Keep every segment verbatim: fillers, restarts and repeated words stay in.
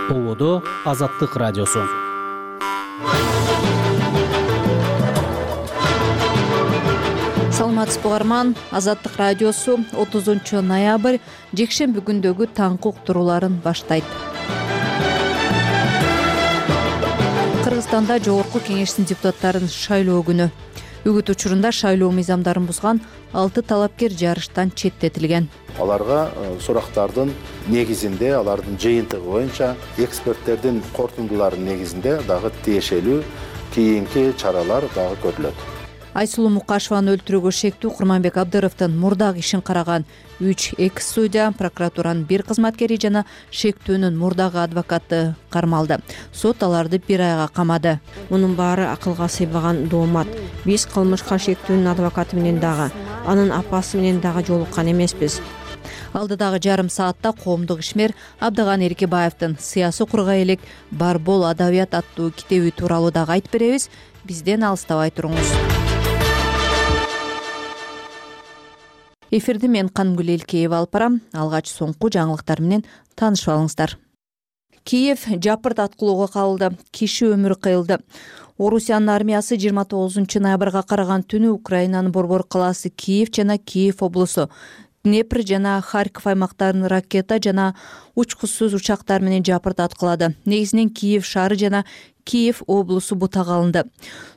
Болодо Азаттык радиосу. Саламатсызбы угарман, Азаттык радиосу отузунчу ноябрь жекшемби күндөгү таңкы уктурууларын баштайт. Кыргызстанда Жогорку Кеңештин депутаттарын шайлоо күнү. Үгүт учурунда шайлоо мыйзамдарын бузган алты талапкер жарыштан четтетилген. Аларга сурактардын негизинде, алардын жыйынтыгы боюнча эксперттердин корутундуларынын негизинде дагы тиешелүү кийинки чаралар дагы көрүлөт. Айсулуу Мукашеваны өлтүрүүгө шектүү Курманбек Абдыровдун мурдагы ишин караган үч экс судья, прокуратуранын бир кызматкери жана шектүүнүн мурдагы адвокаты кармалды. Сот аларды бир айга камады. Мунун баары акылга сыйбаган доомат. Биз кылмышка шектүүнүн адвокаты менен дагы, анын апасы менен дагы жолуккан эмеспиз. Алдыдагы жарым саатта коомдук ишмер Абдыган Эркебаевдин «Сыясы кургай элек бар бол адабият» аттуу китеби тууралуу дагы айтып беребиз. Бизден алыстабай туруңуз. Эфирди мен Кангүл Элкеева алып барам. Алгач соңку жаңылыктар менен таанышып алыңыздар. Киев жапырт аткылоого кабылды. Киши өмүрү кыйылды. Орусиянын армиясы жыйырма тогузунчу ноябрга караган түнү Украинанын борбор калаасы Киев жана Киев облусу, Днепр жана Харьков аймактарын ракета жана учкучсуз учактар менен жапырт аткылады. Негизинен Киев шаары жана Киев облусу бутага алынды.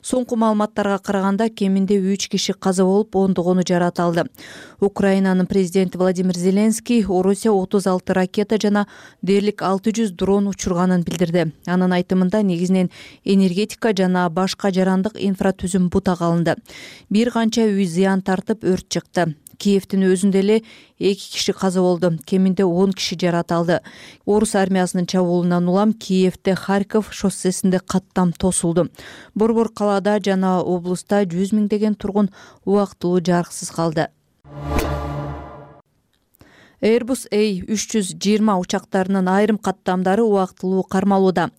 Соңку маалыматтарга караганда кеминде үч киши каза болуп, ондогону жарат алды. Украинанын президенти Владимир Зеленский Орусия отуз алты ракета жана дээрлик алты жүз дрон учурганын билдирди. Анын айтымында негизинен энергетика жана башка жарандык инфратүзүм бутага алынды. Бир канча үй зыян тартып, өрт чыкты. Киевдин өзүндө эле эки киши каза болду, кеминде он киши жарат алды. Орус армиясынын чабуулунан улам Киевде Харьков шоссесинде каттам тосулду. Борбор калаада жана облуста жүз миңдеген тургун убактылуу жарыксыз калды. Airbus A үч жүз жыйырма учактарынын айрым каттамдары убактылуу кармалууда.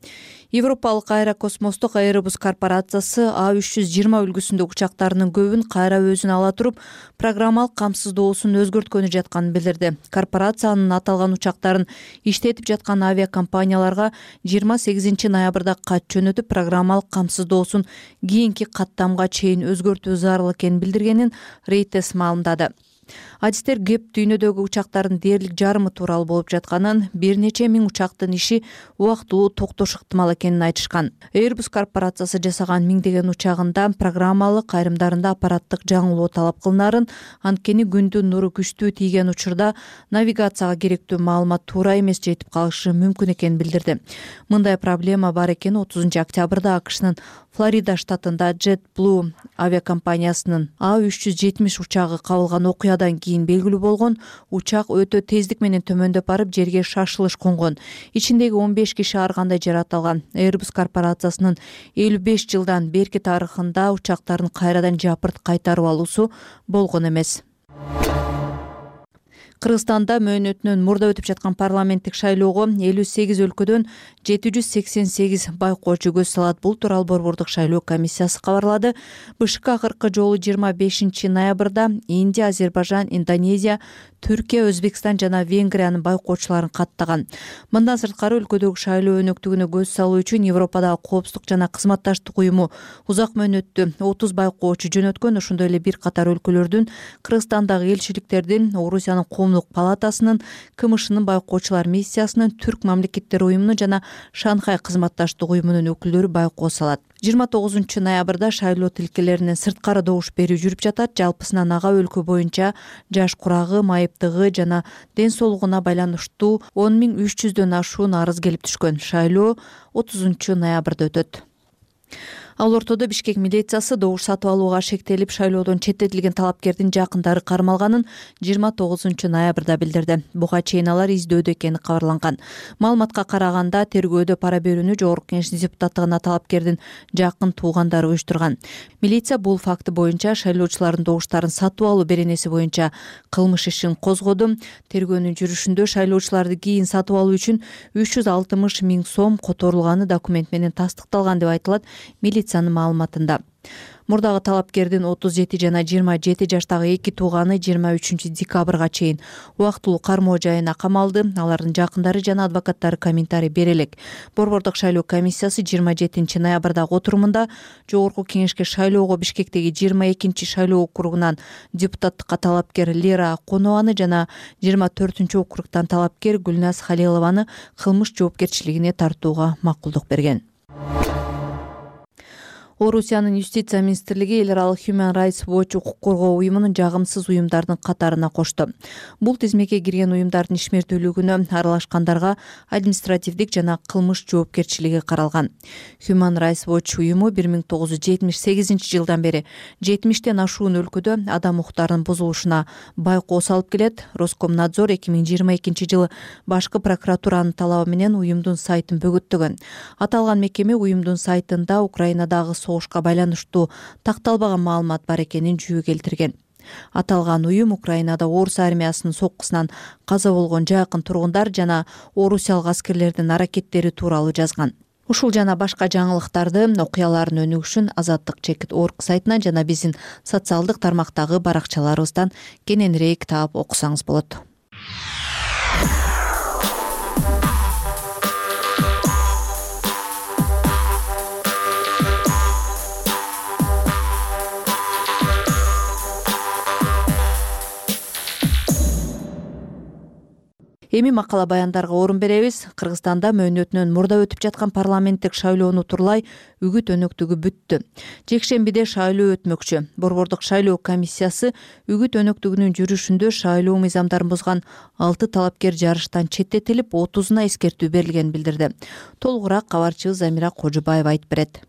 Европалык аэрокосмостук Airbus корпорациясы А үч жүз жыйырма үлгүсүндөгү учактарынын көбүн кайра өзүнө ала туруп, программалык камсыздоосун өзгөрткөнү жатканын билдирди. Корпорациянын аталган учактарын иштетип жаткан авиакомпанияларга жыйырма сегизинчи ноябрда кат жөнөтүп, программалык камсыздоосун кийинки каттамга чейин өзгөртүү зарыл экенин билдиргенин Reuters маалымдады. Адистер кеп дүйнөдөгү учактардын дээрлик жарымы тууралуу болуп жатканын, бир нече миң учактын иши убактылуу токтош ыктымал экенин айтышкан. Airbus корпорациясы жасаган миңдеген учагында программалык айрымдарында аппараттык жаңылоо талап кылынарын, анткени күндүн нуру күчтүү тийген учурда навигацияга керектүү маалымат туура эмес жетип калышы мүмкүн экенин билдирди. Мындай проблема бар экени отузунчу октябрда АКШнын Флорида штатында JetBlue авиакомпаниясынын А үч жүз жетимиш учагы кабылган окуядан кийин белгилүү болгон. Учак өтө тездик менен төмөндөп барып, жерге шашылыш конгон. Ичиндеги он беш киши ар кандай жарат алган. Airbus корпорациясынын элүү беш жылдан берки тарыхында учактарын кайрадан жапырт кайтарып алуусу болгон эмес. Кыргызстанда мөөнөтүнөн мурда өтүп жаткан парламенттик шайлоого элүү сегиз өлкөдөн жети жүз сексен сегиз байкоочу көз салат. Бул тууралуу борбордук шайлоо комиссиясы кабарлады. БШК акыркы жолу жыйырма бешинчи ноябрда Индия, Азербайжан, Индонезия, Түркия, Өзбекстан жана Венгриянын байкоочуларын каттаган. Мындан сырткары өлкөдөгү шайлоо өнөктүгүнө көз салуу үчүн Европадагы коопсуздук жана кызматташтык уюму узак мөөнөттүү отуз байкоочу жөнөткөн. Ошондой эле бир катар өлкөлөрдүн, Кыргызстандагы элчиликтердин, Орусиянын коомдук палатасынын, КМШнын байкоочулар миссиясынын, Түрк мамлекеттери уюмунун жана Шанхай кызматташтык уюмунун өкүлдөрү байкоо салат. жыйырма тогузунчу ноябрда шайлоо тилкелеринен сырткары добуш берүү жүрүп жатат. Жалпысынан ага өлкө боюнча жаш курагы, майыптыгы жана ден соолугуна байланыштуу он миң үч жүздөн ашуун арыз келип түшкөн. Шайлоо отузунчу ноябрда өтөт. Ал ортодо Бишкек милициясы добуш сатып алууга шектелип, шайлоодон четтетилген талапкердин жакындары кармалганын жыйырма тогузунчу ноябрда билдирди. Буга чейин алар издөөдө экени кабарланган. Маалыматка караганда, тергөөдө пара берүүнү Жогорку Кеңештин депутаттыгына талапкердин жакын туугандары уюштурган. Милиция бул факты боюнча шайлоочулардын добуштарын сатып алуу беренеси боюнча кылмыш ишин козгоду. Тергөөнүн жүрүшүндө шайлоочуларды кийин сатып алуу үчүн үч жүз алтымыш миң сом которулганы документ менен тастыкталган деп айтылат милиция милициянын маалыматында. Мурдагы талапкердин отуз жети жана жыйырма жети жаштагы эки тууганы жыйырма үчүнчү декабрга чейин убактылуу кармоо жайына камалды. Алардын жакындары жана адвокаттары комментарий бере элек. Борбордук шайлоо комиссиясы жыйырма жетинчи ноябрдагы отурумунда Жогорку кеңешке шайлоого Бишкектеги жыйырма экинчи шайлоо округунан депутаттыкка талапкер Лера Акунованы жана жыйырма төртүнчү округтан талапкер Гүлназ Халилованы кылмыш жоопкерчилигине тартууга макулдук берген. Орусиянын юстиция министрлиги эл аралык Human Rights Watch укук коргоо уюмунун жагымсыз уюмдардын катарына кошту. Бул тизмеке кирген уюмдардын ишмердүүлүгүнө аралашкандарга административдик жана кылмыш жоопкерчилиги каралган. Human Rights Watch уюму бир миң тогуз жүз жетимиш сегизинчи жылдан бери жетимиштен ашуун өлкөдө адам укуктарынын бузулушуна байкоо салып келет. Роскомнадзор эки миң жыйырма экинчи жылы башкы прокуратуранын талабы менен уюмдун сайтын бөгөттөгөн. Аталган мекеме уюмдун сайтында Украинадагы согушка байланыштуу такталбаган маалымат бар экенин жүйө келтирген. Аталган уюм Украинада орус армиясынын соккусунан каза болгон жакын тургундар жана орусиялык аскерлердин аракеттери тууралуу жазган. Ушул жана башка жаңылыктарды, окуялардын өнүгүшүн Азаттык чекит точка орг сайтынан жана биздин социалдык тармактагы баракчаларыбыздан кененирээк таап окусаңыз болот. Эми макала баяндарга орун беребиз. Кыргызстанда мөөнөтүнөн мурда өтүп жаткан парламенттик шайлоону турлай үгүт өнөктүгү бүттү. Жекшембиде шайлоо өтмөкчү. Борбордук шайлоо комиссиясы үгүт өнөктүгүнүн жүрүшүндө шайлоо мыйзамдарын бузган алты талапкер жарыштан четтетилип, отузуна эскертүү берилгенин билдирди. Толугураак кабарчыбыз Замира Кожубаева айтып берет.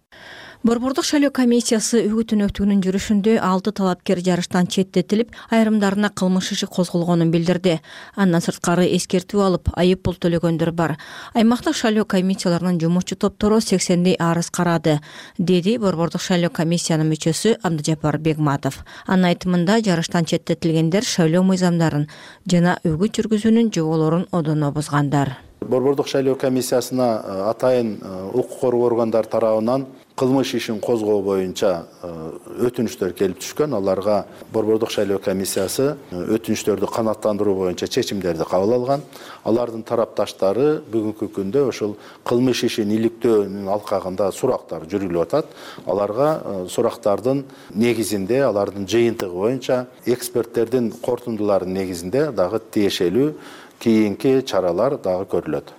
Борбордук шайлоо комиссиясы үгүт өнөктүгүнүн жүрүшүндө алты талапкер жарыштан четтетилип, айрымдарына кылмыш иши козголгонун билдирди. Андан сырткары эскертүү алып, айып пул төлөгөндөр бар. Аймактык шайлоо комиссияларынын жумушчу топтору сексендей арыз карады, деди Борбордук шайлоо комиссиянын мүчөсү Абдыжапар Бегматов. Анын айтымында жарыштан четтетилгендер шайлоо мыйзамдарын жана үгүт жүргүзүүнүн жоболорун одоно бузгандар. Борбордук шайлоо комиссиясына атайын укук коргоо органдары тарабынан кылмыш ишин козгоо боюнча өтүнүчтөр келип түшкөн. Аларга Борбордук шайлоо комиссиясы өтүнүчтөрдү канааттандыруу боюнча чечимдерди кабыл алган. Алардын тарапташтары бүгүнкү күндө ошол кылмыш ишин иликтөөнүн алкагында сурактар жүргүлүп атат. Аларга сурактардын негизинде, алардын жыйынтыгы боюнча эксперттердин кортундуларынын негизинде дагы тиешелүү кийинки чаралар дагы көрүлөт.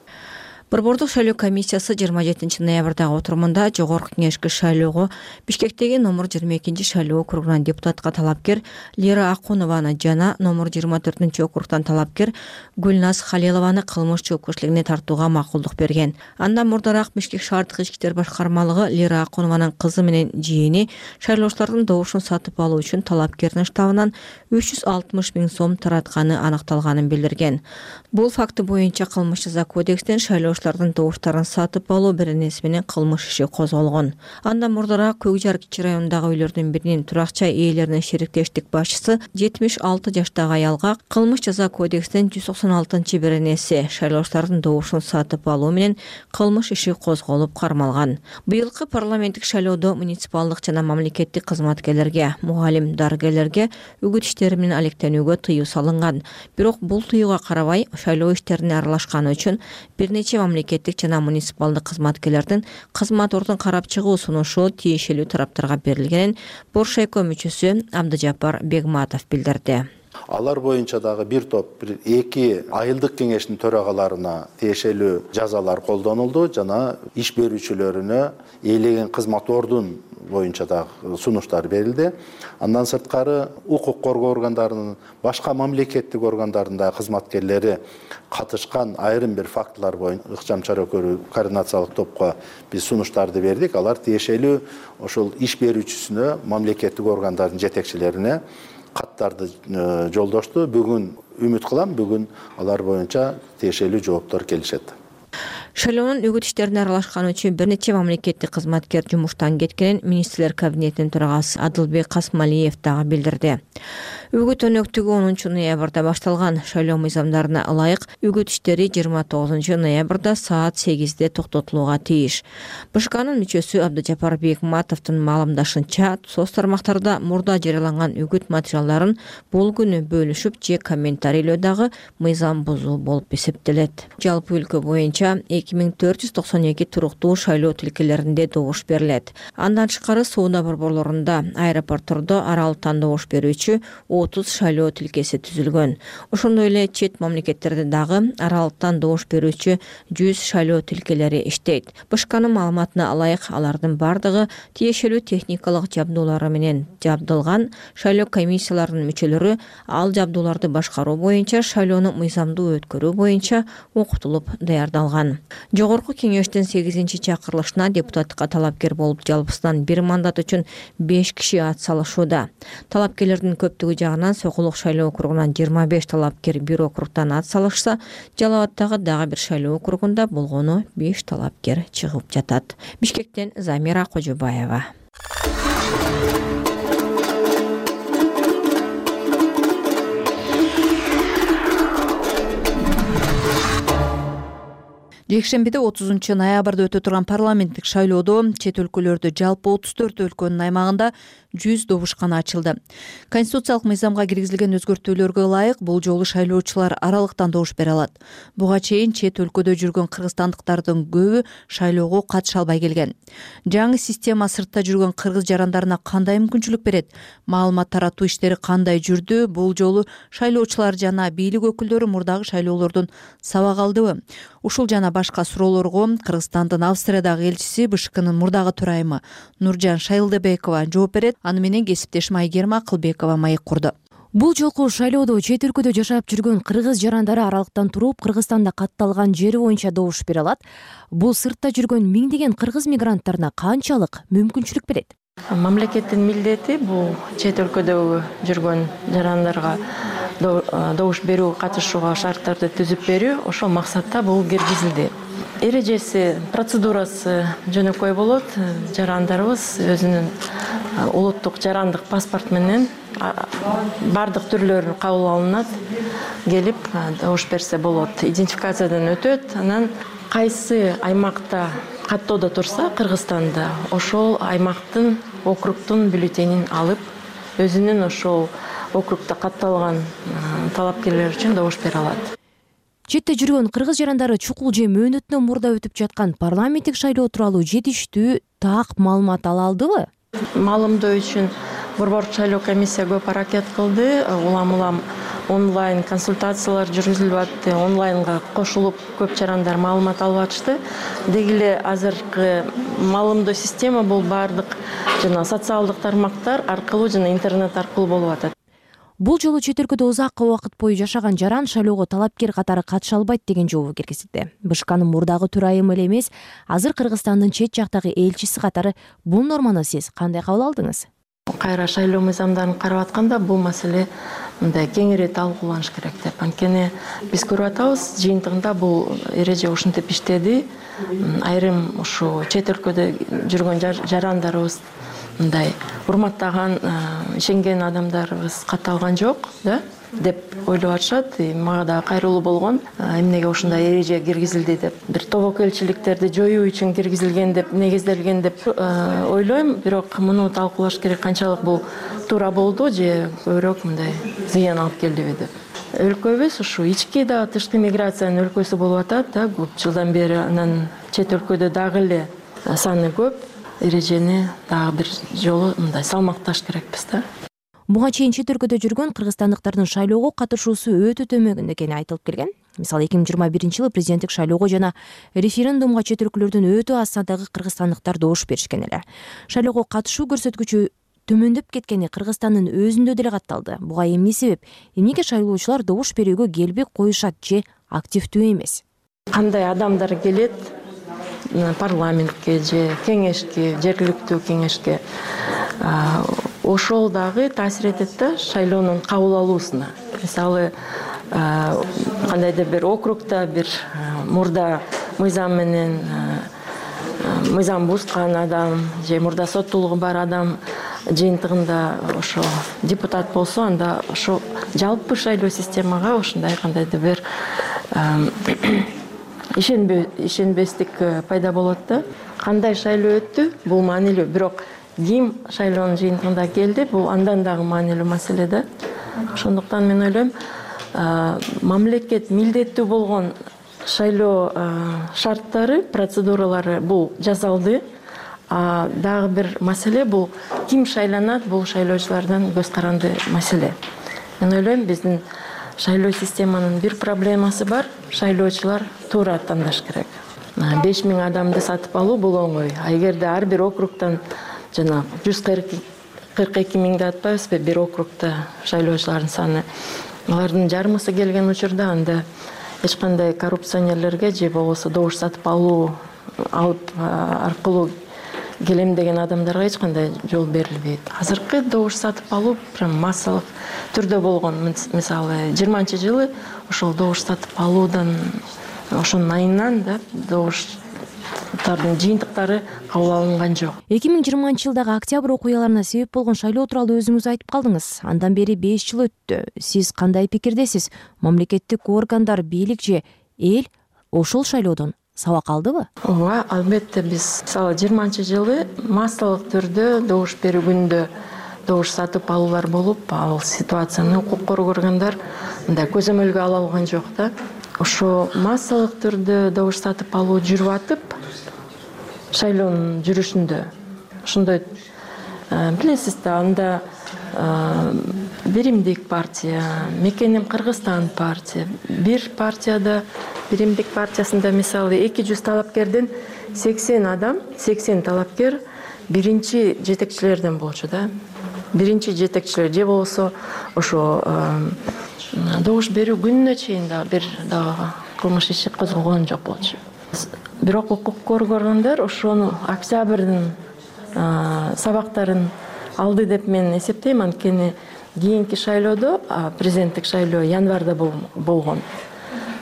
Борбордук шайлоо комиссиясы жыйырма жетинчи ноябрдагы отурумунда Жогорку кеңешке шайлоого Бишкектеги номер жыйырма экинчи шайлоо округунан депутатка талапкер Лера Акунованы жана номер жыйырма төртүнчү округтан талапкер Гүлназ Халилованы кылмыш жоопкерчилигине тартууга макулдук берген. Андан мурдараак Бишкек шаардык ички иштер башкармалыгы Лера Акунованын кызы менен жиени шайлоочулардын добушун сатып алуу үчүн талапкердин штабынан үч жүз алтымыш миң сом таратканы аныкталганын билдирген. Бул факты боюнча кылмыш жаза кодекстен шайлоочулардын добуштарын сатып алуу беренеси менен кылмыш иши козголгон. Андан мурдараак Көк Жар кичи районундагы үйлөрдүн биринин турак-жай ээлеринин шериктештик башчысы жетимиш алты жаштагы аялга кылмыш жаза кодекстен жүз токсон алтынчы беренеси шайлоочулардын добушун сатып алуу менен кылмыш иши козголуп кармалган. Быйылкы парламенттик шайлоодо муниципалдык жана мамлекеттик кызматкерлерге, мугалим, дарыгерлерге үгүт иштери менен алектенүүгө тыюу салынган. Бирок бул тыюуга карабай шайлоо иштерине аралашканы үчүн бир нече мамлекеттик жана муниципалдык кызматкерлердин кызмат ордун карап чыгуу сунушу тиешелүү тараптарга берилгенин Боршайко мүчөсү Абдыжапар Бегматов билдирди. Алар боюнча дагы бир топ бир эки айылдык кеңештин төрагаларына тиешелүү жазалар колдонулду жана иш берүүчүлөрүнө ээлеген кызмат ордун боюнча дагы сунуштар берилди. Андан сырткары укук коргоо органдарынын башка мамлекеттик органдарында кызматкерлери катышкан айрым бир фактылар боюнча ыкчам чара көрүү координациялык топко биз сунуштарды бердик. Алар тиешелүү ошол иш берүүчүсүнө, мамлекеттик органдардын жетекчилерине каттарды жолдошту. Бүгүн үмүт кылам, бүгүн алар боюнча тиешелүү жооптор келишет. Шайлоонун үгүт иштерине аралашканы үчүн бир нече мамлекеттик кызматкер жумуштан кеткенин министрлер кабинетинин төрагасы Адылбек Касмалиев дагы билдирди. Үгүт өнөктүгү онунчу ноябрда башталган. Шайлоо мыйзамдарына ылайык үгүт иштери жыйырма тогузунчу ноябрда саат сегизде токтотулууга тийиш. БШКнын мүчөсү Абдыжапар Бекматовдун маалымдашынча, соц тармактарда мурда жарыяланган үгүт материалдарын бул күнү бөлүшүп же комментарийлөө дагы мыйзам бузуу болуп эсептелет. Жалпы өлкө боюнча эки миң төрт жүз токсон эки туруктуу шайлоо тилкелеринде добуш берилет. Андан тышкары соода борборлорунда, аэропорттордо аралыктан добуш берүүчү отуз шайлоо тилкеси түзүлгөн. Ошондой эле чет мамлекеттерде дагы аралыктан добуш берүүчү жүз шайлоо тилкелери иштейт. БШКнын маалыматына ылайык алардын бардыгы тиешелүү техникалык жабдуулары менен жабдылган. Шайлоо комиссияларынын мүчөлөрү ал жабдууларды башкаруу боюнча, шайлоону мыйзамдуу өткөрүү боюнча окутулуп даярдалган. Жогорку кеңештин сегизинчи чакырылышына депутаттыкка талапкер болуп жалпысынан бир мандат үчүн беш киши ат салышууда. Талапкерлердин көптүгү жагынан Сокулук шайлоо округунан жыйырма беш талапкер бир округтан ат салышса, Жалал Абадтагы дагы бир шайлоо округунда болгону беш талапкер чыгып жатат. Бишкектен Замира Кожобаева. Жекшембиде отузунчу ноябрда өтө турган парламенттик шайлоодо чет өлкөлөрдө жалпы отуз төрт өлкөнүн аймагында жүз добушкана ачылды. Конституциялык мыйзамга киргизилген өзгөртүүлөргө ылайык бул жолу шайлоочулар аралыктан добуш бере алат. Буга чейин чет өлкөдө жүргөн кыргызстандыктардын көбү шайлоого катыша албай келген. Жаңы система сыртта жүргөн кыргыз жарандарына кандай мүмкүнчүлүк берет? Маалымат таратуу иштери кандай жүрдү? Бул жолу шайлоочулар жана бийлик өкүлдөрү мурдагы шайлоолордон сабак алдыбы? Ушул жана башка суроолорго Кыргызстандын Австриядагы элчиси БШКнын мурдагы төрайымы Нуржан Шайлдыбекова жооп берет. Аны менен кесиптешим Айгерим Акылбекова маек курду. Бул жолку шайлоодо чет өлкөдө жашап жүргөн кыргыз жарандары аралыктан туруп Кыргызстанда катталган жери боюнча добуш бере алат. Бул сыртта жүргөн миңдеген кыргыз мигранттарына канчалык мүмкүнчүлүк берет? Мамлекеттин милдети бул чет өлкөдө жүргөн жарандарга добуш берүү, катышууга шарттарды түзүп берүү. Ошол максатта бул киргизилди. Эрежеси, процедурасы жөнөкөй болот. Жарандарыбыз өзүнүн улуттук жарандык паспорт менен бардык түрлөрү кабыл алынат, келип добуш берсе болот. Идентификациядан өтөт. Анан кайсы аймакта каттоодо турса Кыргызстанда, ошол аймактын, округтун бюллетенин алып, өзүнүн ошол округда катталган талапкерлер үчүн добуш бере алат. Четте жүргөн кыргыз жарандары чукул же мөөнөтүнөн мурда өтүп жаткан парламенттик шайлоо тууралуу жетиштүү так маалымат ала алдыбы? Маалымдоо үчүн борбордук шайлоо комиссия көп аракет кылды. Улам улам онлайн консультациялар жүргүзүлүп атты. Онлайнга кошулуп көп жарандар маалымат алып атышты. Деги эле азыркы маалымдоо система бул бардык жана социалдык тармактар аркылуу жана интернет аркылуу болуп атат. Бул жолу чет өлкөдө узакка убакыт бою жашаган жаран шайлоого талапкер катары катыша албайт деген жообу киргизилди. БШКнын мурдагы төрайымы эле эмес, азыр Кыргызстандын чет жактагы элчиси катары бул норманы сиз кандай кабыл алдыңыз? Кайра шайлоо мыйзамдарын карап атканда бул маселе мындай кеңири талкууланыш керек деп. Анткени биз көрүп атабыз, жыйынтыгында бул эреже ушинтип иштеди. Айрым ушу чет өлкөдө жүргөн жарандарыбыз мындай урматтаган, ишенген адамдарыбыз катталган жок, да, деп ойлоп атышат. Мага да кайрылуу болгон. Эмнеге ушундай эреже киргизилди деп, бир тобокелчиликтерди жоюу үчүн киргизилген деп, негизделген деп ойлойм. Бирок муну талкуулаш керек, канчалык бул туура болду же көбүрөөк мындай зыян алып келдиби деп. Өлкөбүз ушу ички да тышкы миграциянын өлкөсү болуп атат да, көп жылдан бери. Анан чет өлкөдө дагы эле саны көп. Эрежени дагы бир жолу мындай салмакташ керекпиз да. Буга чейин чет өлкөдө жүргөн кыргызстандыктардын шайлоого катышуусу өтө төмөн экени айтылып келген. Мисалы эки миң жыйырма биринчи жылы президенттик шайлоого жана референдумга чет өлкөлөрдөн өтө аз сандагы кыргызстандыктар добуш беришкен эле. Шайлоого катышуу көрсөткүчү төмөндөп кеткени Кыргызстандын өзүндө деле катталды. Буга эмне себеп? Эмнеге шайлоочулар добуш берүүгө келбей коюшат же активдүү эмес? Кандай адамдар келет парламентке же кеңешке, жергиликтүү кеңешке, ошол дагы таасир этет да шайлоонун кабыл алуусуна. Мисалы, кандайдыр бир округда бир мурда мыйзам менен мыйзам бузган адам же мурда соттуулугу бар адам жыйынтыгында ошо депутат болсо, анда ошо жалпы шайлоо системага ушундай кандайдыр бир ишенбестик пайда болот да. Кандай шайлоо өттү, бул маанилүү, бирок ким шайлоонун жыйынтыгында келди, бул андан дагы маанилүү маселе да. Ошондуктан мен ойлойм, мамлекет милдеттүү болгон шайлоо шарттары, процедуралары бул жасалды. А дагы бир маселе бул ким шайланат, бул шайлоочулардан көз каранды маселе. Мен ойлойм, биздин шайлоо системанын бир проблемасы бар. Шайлоочулар туура тандаш керек. беш миң адамды сатып алуу бул оңой. А эгерде ар бир округтан жана жүз кырк эки миңди атпайбызбы, бир округда шайлоочулардын саны, алардын жарымысы келген учурда анда эч кандай коррупционерлерге же болбосо добуш сатып алуу алып аркылуу келем деген адамдарга эч кандай жол берилбейт. Азыркы добуш сатып алуу прям массалык түрдө болгон. Мисалы, жыйырманчы жылы ошол добуш сатып алуудан, ошонун айынан да добуштардын жыйынтыктары кабыл алынган жок. эки миң жыйырманчы жылдагы октябрь окуяларына себеп болгон шайлоо тууралуу өзүңүз айтып калдыңыз. Андан бери беш жыл өттү. Сиз кандай пикирдесиз? Мамлекеттик органдар, бийлик же эл ошол шайлоодон сабак алдыбы? Ооба, албетте. Биз мисалы жыйырманчы жылы массалык түрдө добуш берүү күндө добуш сатып алуулар болуп, ал ситуацияны укук коргоо органдар мындай көзөмөлгө ала алган жок да. Ошо массалык түрдө добуш сатып алуу жүрүп атып, шайлоонун жүрүшүндө ошондой билесиз да, анда Биримдик партия, Мекенем Кыргызстан партия, бир партияда, Биримдик партиясында мисалы эки жүз талапкерден сексен адам, сексен талапкер биринчи жетекчилерден болчу да. Биринчи жетекчилер же болсо ошо добуш берүү күнүнө чейин да бир дагы кылмыш иши козголгон жок болчу. Бирок укук коргоо органдар ошону октябрдын сабактарын алды деп мен эсептейм. Анткени кийинки шайлоодо, президенттик шайлоо январда болгон.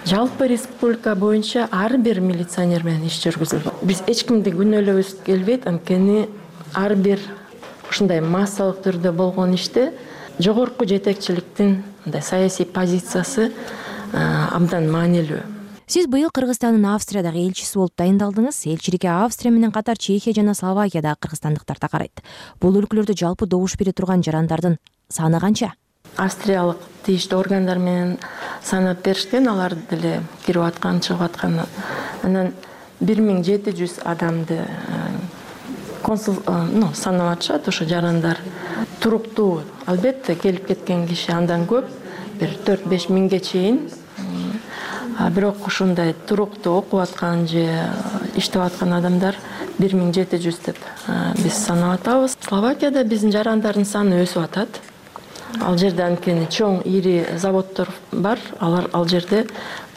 Жалпы республика боюнча ар бир милиционер менен иш жүргүзүлдү. Биз эч кимди күнөөлөбүз келбейт, анткени ар бир ушундай массалык түрдө болгон иште жогорку жетекчиликтин мындай саясий позициясы абдан маанилүү. Сиз быйыл Кыргызстандын Австриядагы элчиси болуп дайындалдыңыз. Элчиликке Австрия менен катар Чехия жана Словакиядагы кыргызстандыктар да карайт. Бул өлкөлөрдө жалпы добуш бере турган жарандардын саны канча? Австриялык тийиштүү органдар менен санап беришкен, алар деле кирип аткан, чыгып аткан. Анан бир миң жети жүз адамды консул, ну, санап атышат. Ошо жарандар туруктуу, албетте келип кеткен киши андан көп, бир төрт беш миңге чейин. Бирок ушундай туруктуу окуп аткан же иштеп аткан адамдар бир миң жети жүз деп биз санап атабыз. Словакияда биздин жарандардын саны өсүп атат. Ал жерде анткени чоң ири заводдор бар. Алар ал жерде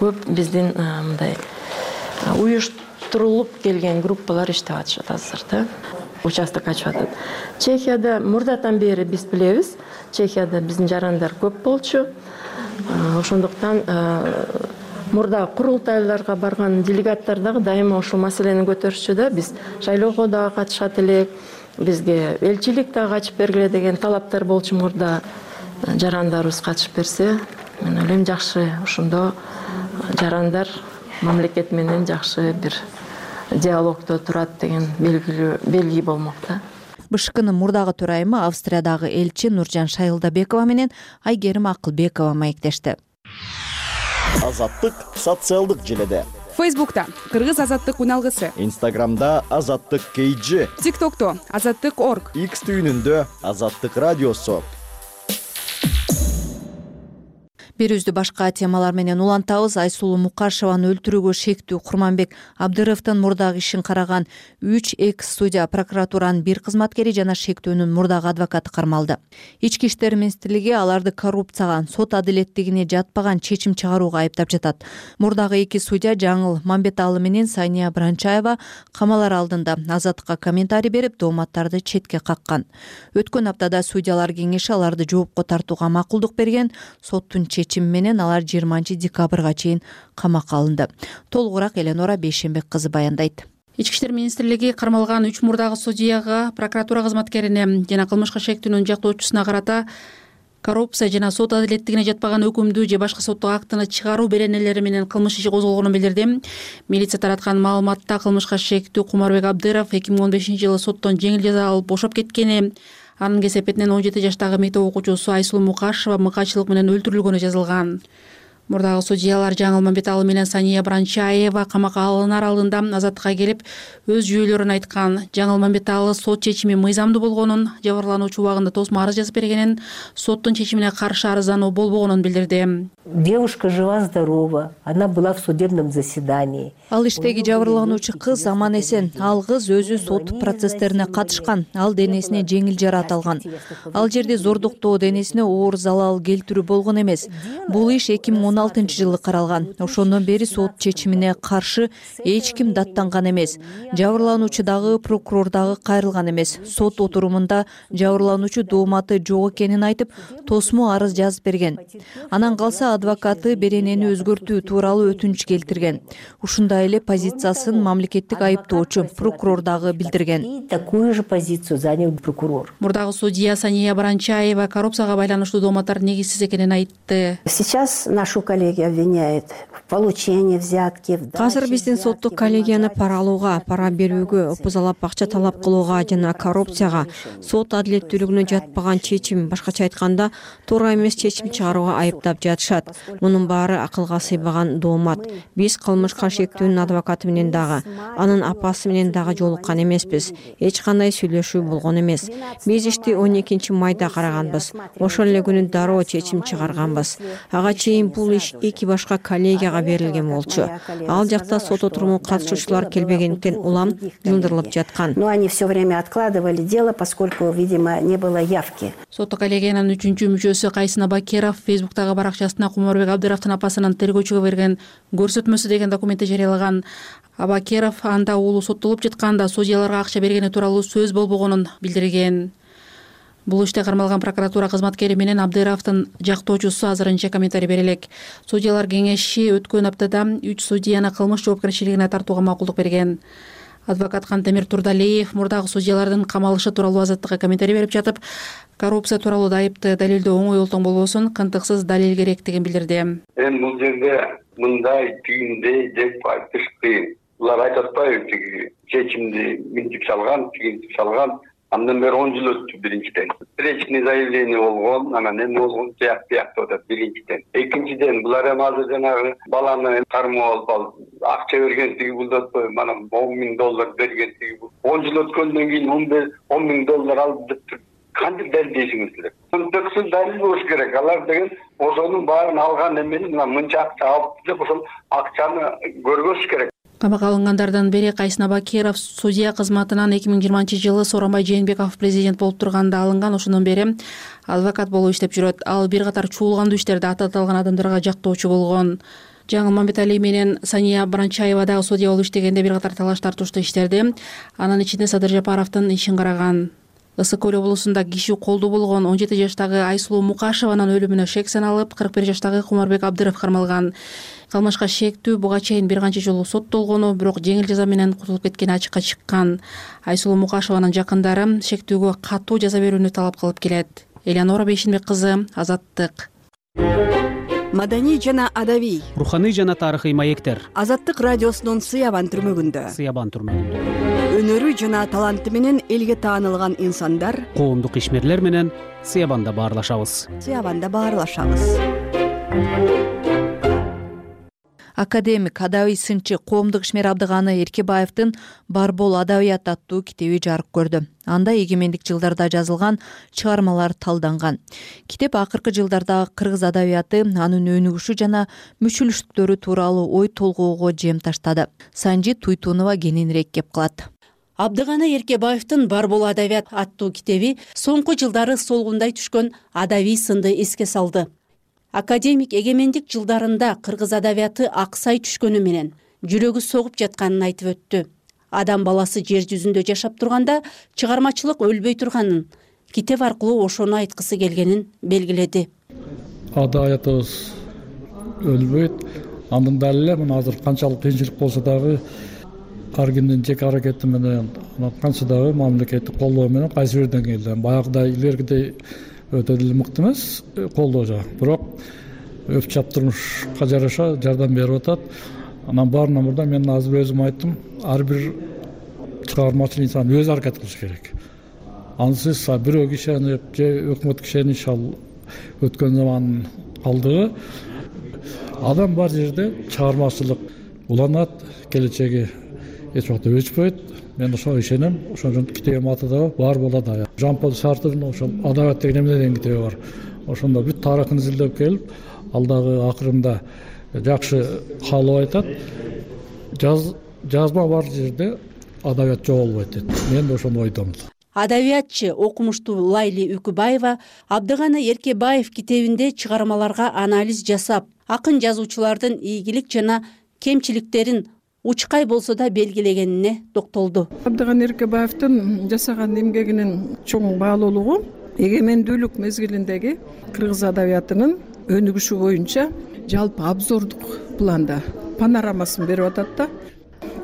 көп биздин мындай уюштурулуп келген группалар иштеп атышат азыр да. Участок ачып атат. Чехияда мурдатан бери биз билебиз, Чехияда биздин жарандар көп болчу. Ошондуктан мурда курултайларга барган делегаттар дагы дайыма ушул маселени көтөрүшчү да. Биз шайлоого дагы катышат элек, бизге элчилик дагы ачып бергиле деген талаптар болчу мурда. Жарандарыбыз катышып берсе, мен ойлойм жакшы, ошондо жарандар мамлекет менен жакшы бир диалогдо турат деген белгилүү белги болмок да. БШКнын мурдагы төрайымы Австриядагы элчи Нуржан Шайылдабекова менен Айгерим Акылбекова маектешти. Азаттык социалдык желеде. Фейсбукта Кыргыз азаттык уналгысы, Инстаграмда Азаттык кей джи, ТикТокто Азаттык орг, X түйүнүндө Азаттык радиосу. Берүүбүздү башка темалар менен улантабыз. Айсулуу Мукашеваны өлтүрүүгө шектүү Курманбек Абдыровдун мурдагы ишин караган үч экс судья, прокуратуранын бир кызматкери жана шектөөнүн мурдагы адвокаты кармалды. Ички иштер министрлиги аларды коррупцияга, сот адилеттигине жатпаган чечим чыгарууга айыптап жатат. Мурдагы эки судья Жаңыл Мамбеталы менен Сания Бранчаева камалар алдында Азаттыкка комментарий берип, дооматтарды четке каккан. Өткөн аптада судьялар кеңеши аларды жоопко тартууга макулдук берген. Соттун чечими менен алар жыйырманчы декабрга чейин камакка алынды. Толугураак Эленора Бейшенбек кызы баяндайт. Ички иштер министрлиги кармалган үч мурдагы судьяга, прокуратура кызматкерине жана кылмышка шектүүнүн жактоочусуна карата коррупция жана сот адилеттигине жатпаган өкүмдү же башка соттук актыны чыгаруу беренелери менен кылмыш иши козголгонун билдирди. Милиция тараткан маалыматта кылмышка шектүү Кумарбек Абдыров эки миң он бешинчи жылы соттон жеңил жаза алып бошоп кеткени, анын кесепетинен он жети жаштагы мектеп окуучусу Айсулуу Мукашева мыкаачылык менен өлтүрүлгөнү жазылган. Мурдагы судьялар Жаңыл Мамбеталы менен Сания Бранчаева камакка алынар алдында азаттыкка келип, өз жүйөлөрүн айткан. Жаңыл Мамбеталы сот чечими мыйзамдуу болгонун, жабырлануучу убагында тосмо арыз жазып бергенин, соттун чечимине каршы арыздануу болбогонун билдирди. Девушка жива-здорова, она была в судебном заседании. Ал иштеги жабырлануучу кыз аман эсен. Ал кыз өзү сот процесстерине катышкан. Ал денесине жеңил жараат алган. Ал жерде зордуктоо, денесине оор залал келтирүү болгон эмес. Бул иш эки миң он алтынчы жылы каралган. Ошондон бери сот чечимине каршы эч ким даттанган эмес. Жабырлануучу дагы, прокурор дагы кайрылган эмес. Сот отурумунда жабырлануучу дооматы жок экенин айтып, тосмо арыз жазып берген. Анан калса адвокаты беренени өзгөртүү тууралуу өтүнүч келтирген. Ушундай эле позициясын мамлекеттик айыптоочу прокурор дагы билдирген. Такую же позицию занял прокурор. Мурдагы судья Сания Бранчаева коррупцияга байланыштуу дооматтар негизсиз экенин айтты. Сейчас нашу коллегию обвиняют в получении взятки. Азыр биздин соттук коллегияны пара алууга, пара берүүгө, опузалап акча талап кылууга жана коррупцияга, сот адилеттүүлүгүнө жатпаган чечим, башкача айтканда, туура эмес чечим чыгарууга айыптап жатышат. Мунун баары акылга сыйбаган доомат. Биз кылмышка шектүүнүн адвокаты менен дагы, анын апасы менен дагы жолуккан эмеспиз. Эч кандай сүйлөшүү болгон эмес. Биз ишти он экинчи майда караганбыз. Ошол эле күнү дароо чечим чыгарганбыз. Ага чейин бул иш эки башка коллегияга берилген болчу. Ал жакта сот отуруму катышуучулар келбегендиктен улам жылдырылып жаткан. Но они все время откладывали дело, поскольку, видимо, не было явки. Соттук коллегиянын үчүнчү мүчөсү Кайсына Бакиров Фейсбуктагы баракчасына Кумарбек Абдыровдун апасынын тергөөчүгө берген көрсөтмөсү деген документти жарыялаган. Абакиров анда уулу соттолуп жатканда судьяларга акча бергени тууралуу сөз болбогонун билдирген. Бул иште кармалган прокуратура кызматкери менен Абдыровдун жактоочусу азырынча комментарий бере элек. Судьялар кеңеши өткөн аптада үч судьяны кылмыш жоопкерчилигине тартууга макулдук берген. Адвокат Кантемир Турдалиев мурдагы судьялардын камалышы тууралуу азаттыкка комментарий берип жатып, коррупция тууралуу айыпты далилдөө оңой олтоң болбосун, кантыксыз далил керектигин билдирди. Эми бул жерде мындай түйүндөй деп айтыш кыйын. Булар айтып атпайбы, тиги чечимди минтип салган, тигинтип салган. Андан бери он жыл өттү биринчиден. Встречный заявление болгон, анан эми болгон тияк тияк деп атат биринчиден. Экинчиден булар эми азыр жанагы баланы кармоо алып акча бергентиги бул да мана он миң доллар бергентиги бул. он жыл өткөндөн кийин он миң доллар алып деп кантип далилдейсиңиздер? Контексти далил болуш керек. Алар деген ошонун баарын алган эмени мына мынча акча алып деп ошол акчаны көргөзүш керек. Камакка алынгандардын бири Кайсына Бакиров судья кызматынан эки миң жыйырманчы жылы Сооронбай Жээнбеков президент болуп турганда алынган. Ошондон бери адвокат болуп иштеп жүрөт. Ал бир катар чуулгандуу иштерде атталган адамдарга жактоочу болгон. Жаңыл Мамбетали менен Сания Бранчаева дагы судья болуп иштегенде бир катар талаш тартуштуу иштерде. Анын ичинде Садыр Жапаровдун ишин караган. Ысык Көл облусунда киши колдуу болгон он жети жаштагы Айсулуу Мукашеванын өлүмүнө шек саналып, кырк бир жаштагы Кумарбек Абдыров кармалган. Кылмышка шектүү буга чейин бир канча жолу соттолгону, бирок жеңил жаза менен кутулуп кеткени ачыкка чыккан. Айсулуу Мукашеванын жакындары шектүүгө катуу жаза берүүнү талап кылып келет. Элеонора Бейшинбек кызы, Азаттык. Маданий жана адабий, руханий жана тарыхый маектер. Азаттык радиосунун Сыябан түрмөгүндө. Сыябан түрмөгүндө. Өнөрү жана таланты менен элге таанылган инсандар, коомдук ишмерлер менен Сыябанда баарлашабыз. Сыябанда баарлашабыз. Академик, адабий сынчы, коомдук ишмер Абдыганы Эркебаевдин Бар бол адабият аттуу китеби жарык көрдү. Анда эгемендик жылдарда жазылган чыгармалар талданган. Китеп акыркы жылдардагы кыргыз адабияты, анын өнүгүшү жана мүчүлүштүктөрү тууралуу ой толгоого жем таштады. Санжи Туйтунова кененирээк кеп кылат. Абдыганы Эркебаевдин Бар бол адабият аттуу китеби соңку жылдары солгундай түшкөн адабий сынды эске салды. Академик эгемендик жылдарында кыргыз адабияты аксай түшкөнү менен жүрөгү согуп жатканын айтып өттү. Адам баласы жер жүзүндө жашап турганда чыгармачылык өлбөй турганын, китеп аркылуу ошону айткысы келгенин белгиледи. Адабиятыбыз өлбөйт. Анын далили мына азыр канчалык кыйынчылык болсо дагы ар кимдин жеке аракети менен канча дагы мамлекеттик колдоо менен кайсы бир деңгээлде баягыдай илгеркидей өтө деле мыкты эмес колдоо жагы, бирок өп чаптырмышка жараша жардам берип атат. Анан баарынан мурда мен азыр өзүм айттым, ар бир чыгармачыл инсан өзү аракет кылыш керек. Ансыз бирөө кишенип же өкмөткө ишенип ал өткөн замандын калдыгы. Адам бар жерде чыгармачылык уланат, келечеги эч убакта өчпөйт. Мен ошого ишенем. Ошон үчүн китебим аты да бар болот. Жан-Поль Сартрдын ошол адабият деген эмне деген китеби бар. Ошондо бүт тарыхын изилдеп келип, ал дагы акырында жакшы каалоо айтат. Жаз жазма бар жерде адабият жоголбойт дейт. Мен да ошондой ойдомун. Адабиятчы, окумуштуу Лайли Үкүбаева Абдыганы Эркебаев китебинде чыгармаларга анализ жасап, акын жазуучулардын ийгилик жана кемчиликтерин учкай болсо да белгилегенине токтолду. Абдыган Эркебаевдин жасаган эмгегинин чоң баалуулугу эгемендүүлүк мезгилиндеги кыргыз адабиятынын өнүгүшү боюнча жалпы обзордук планда панорамасын берип атат да.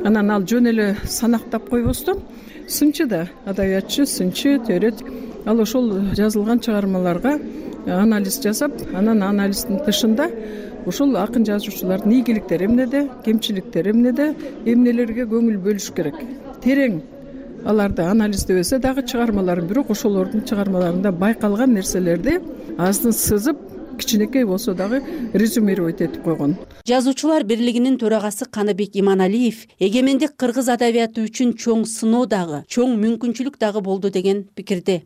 Анан ал жөн эле санактап койбостон сынчы да, адабиятчы, сынчы, төрөт. Ал ошол жазылган чыгармаларга анализ жасап, анан анализдин тышында ошол акын жазуучулардын ийгиликтери эмнеде, кемчиликтери эмнеде, эмнелерге көңүл бөлүш керек. Терең аларды анализдебесе дагы чыгармаларын, бирок ошолордун чыгармаларында байкалган нерселерди аздын сызып, кичинекей болсо дагы резюмировать этип койгон. Жазуучулар бирлигинин төрагасы Каныбек Иманалиев эгемендик кыргыз адабияты үчүн чоң сыноо дагы, чоң мүмкүнчүлүк дагы болду деген пикирде.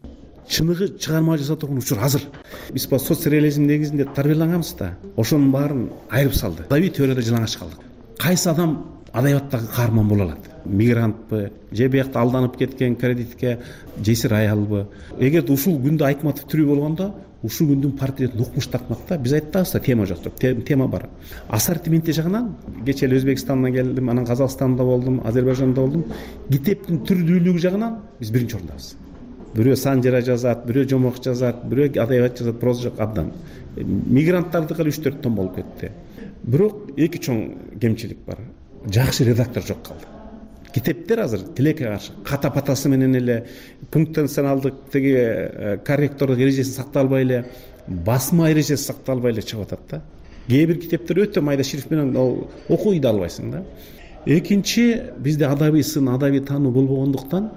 Чыныгы чыгарма жаза турган учур азыр. Биз по соцреализм негизинде тарбияланганбыз да, ошонун баарын айырып салды. Адабий теорияда жалаңаш калдык. Кайсы адам адабияттагы каарман боло алат? Мигрантпы, же биякта алданып кеткен кредитке жесир аялбы? Эгерде ушул күндө Айтматов тирүү болгондо, ушул күндүн портретин укмуш тартмакта биз айтабыз да, тема жок деп. Тема бар. Ассортименти жагынан кечээ эле Өзбекстандан келдим, анан Казакстанда болдум, Азербайжанда болдум. Китептин түрдүүлүгү жагынан биз биринчи орундабыз. Бирөө санжара жазат, бирөө жомок жазат, бирөө адабият жазат, проза жок абдан. Мигранттардыкы үч төрт том болуп кетти. Бирок эки чоң кемчилик бар. Жакшы редактор жок калды. Китептер азыр тилекке каршы ката-патасы менен эле пунктенционалдык теги корректордук эрежеси сакталбай эле, басма эрежеси сакталбай эле чыгып атат да. Кээ бир китептер өтө майда шрифт менен окуй да албайсың да. Экинчи, бизде адабий сын, адабий таануу болбогондуктан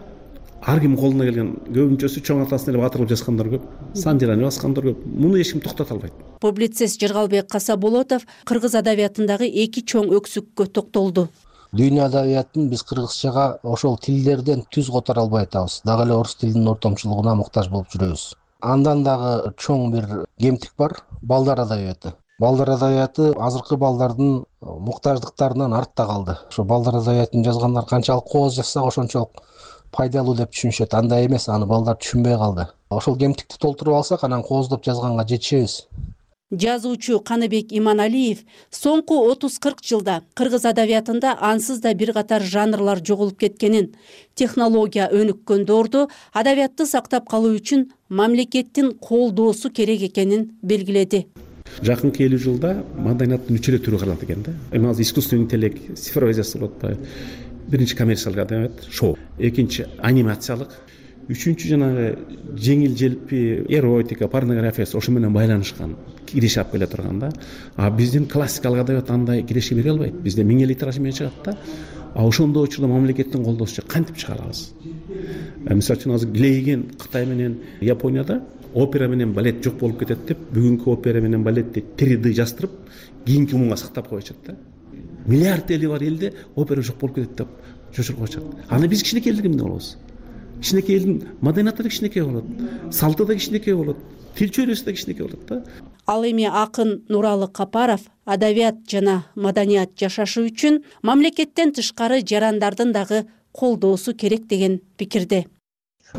ар ким колуна келген көбүнчөсү чоң атасын эле батырып жазгандар көп, санжараны баскандар көп. Муну эч ким токтото албайт. Публицист Жыргалбек Касаболотов кыргыз адабиятындагы эки чоң өксүккө токтолду. Дүйнө адабиятын биз кыргызчага ошол тилдерден түз которо албай атабыз. Дагы эле орус тилинин ортомчулугуна муктаж болуп жүрөбүз. Андан дагы чоң бир кемтик бар, балдар адабияты. Балдар адабияты азыркы балдардын муктаждыктарынан артта калды. Ошо балдар адабиятын жазгандар канчалык кооз жазса ошончолук пайдалуу деп түшүнүшөт. Андай эмес, аны балдар түшүнбөй калды. Ошол кемтикти толтуруп алсак, анан кооздоп жазганга жетишебиз. Жазуучу Каныбек Иманалиев соңку отуз кырк жылда кыргыз адабиятында ансыз да бир катар жанрлар жоголуп кеткенин, технология өнүккөн доордо адабиятты сактап калуу үчүн мамлекеттин колдоосу керек экенин белгиледи. Жакынкы элүү жылда маданияттын үч эле түрү калат экен да. Эми азыр искусственный интеллект, цифровизация болуп атпайбы? Биринчи коммерциялык адабият, шоу. Экинчи анимациялык. Үчүнчү жанагы жеңил желпи эротика, порнография ошо менен байланышкан киреше алып келе турган да. А биздин классикалык адабият андай киреше бере албайт. Бизде миң эле тираж менен чыгат да. А ошондой учурда мамлекеттин колдоосу кантип чыгара алабыз? Мисалы үчүн азыр килейген Кытай менен Японияда опера менен балет жок болуп кетет деп, бүгүнкү опера менен балетти три дэ жаздырып, кийинки муңга сактап коюшат да. Миллиард эли бар элде опера жок болуп кетет деп жошуруп коюшат. Аны биз кичинекей элдер эмне болобуз? Кичинекей элдин маданияты да кичинекей болот, салты да кичинекей болот, тил чөйрөсү да кичинекей болот да. Ал эми акын Нуралы Капаров адабият жана маданият жашашы үчүн мамлекеттен тышкары жарандардын дагы колдоосу керек деген пикирде.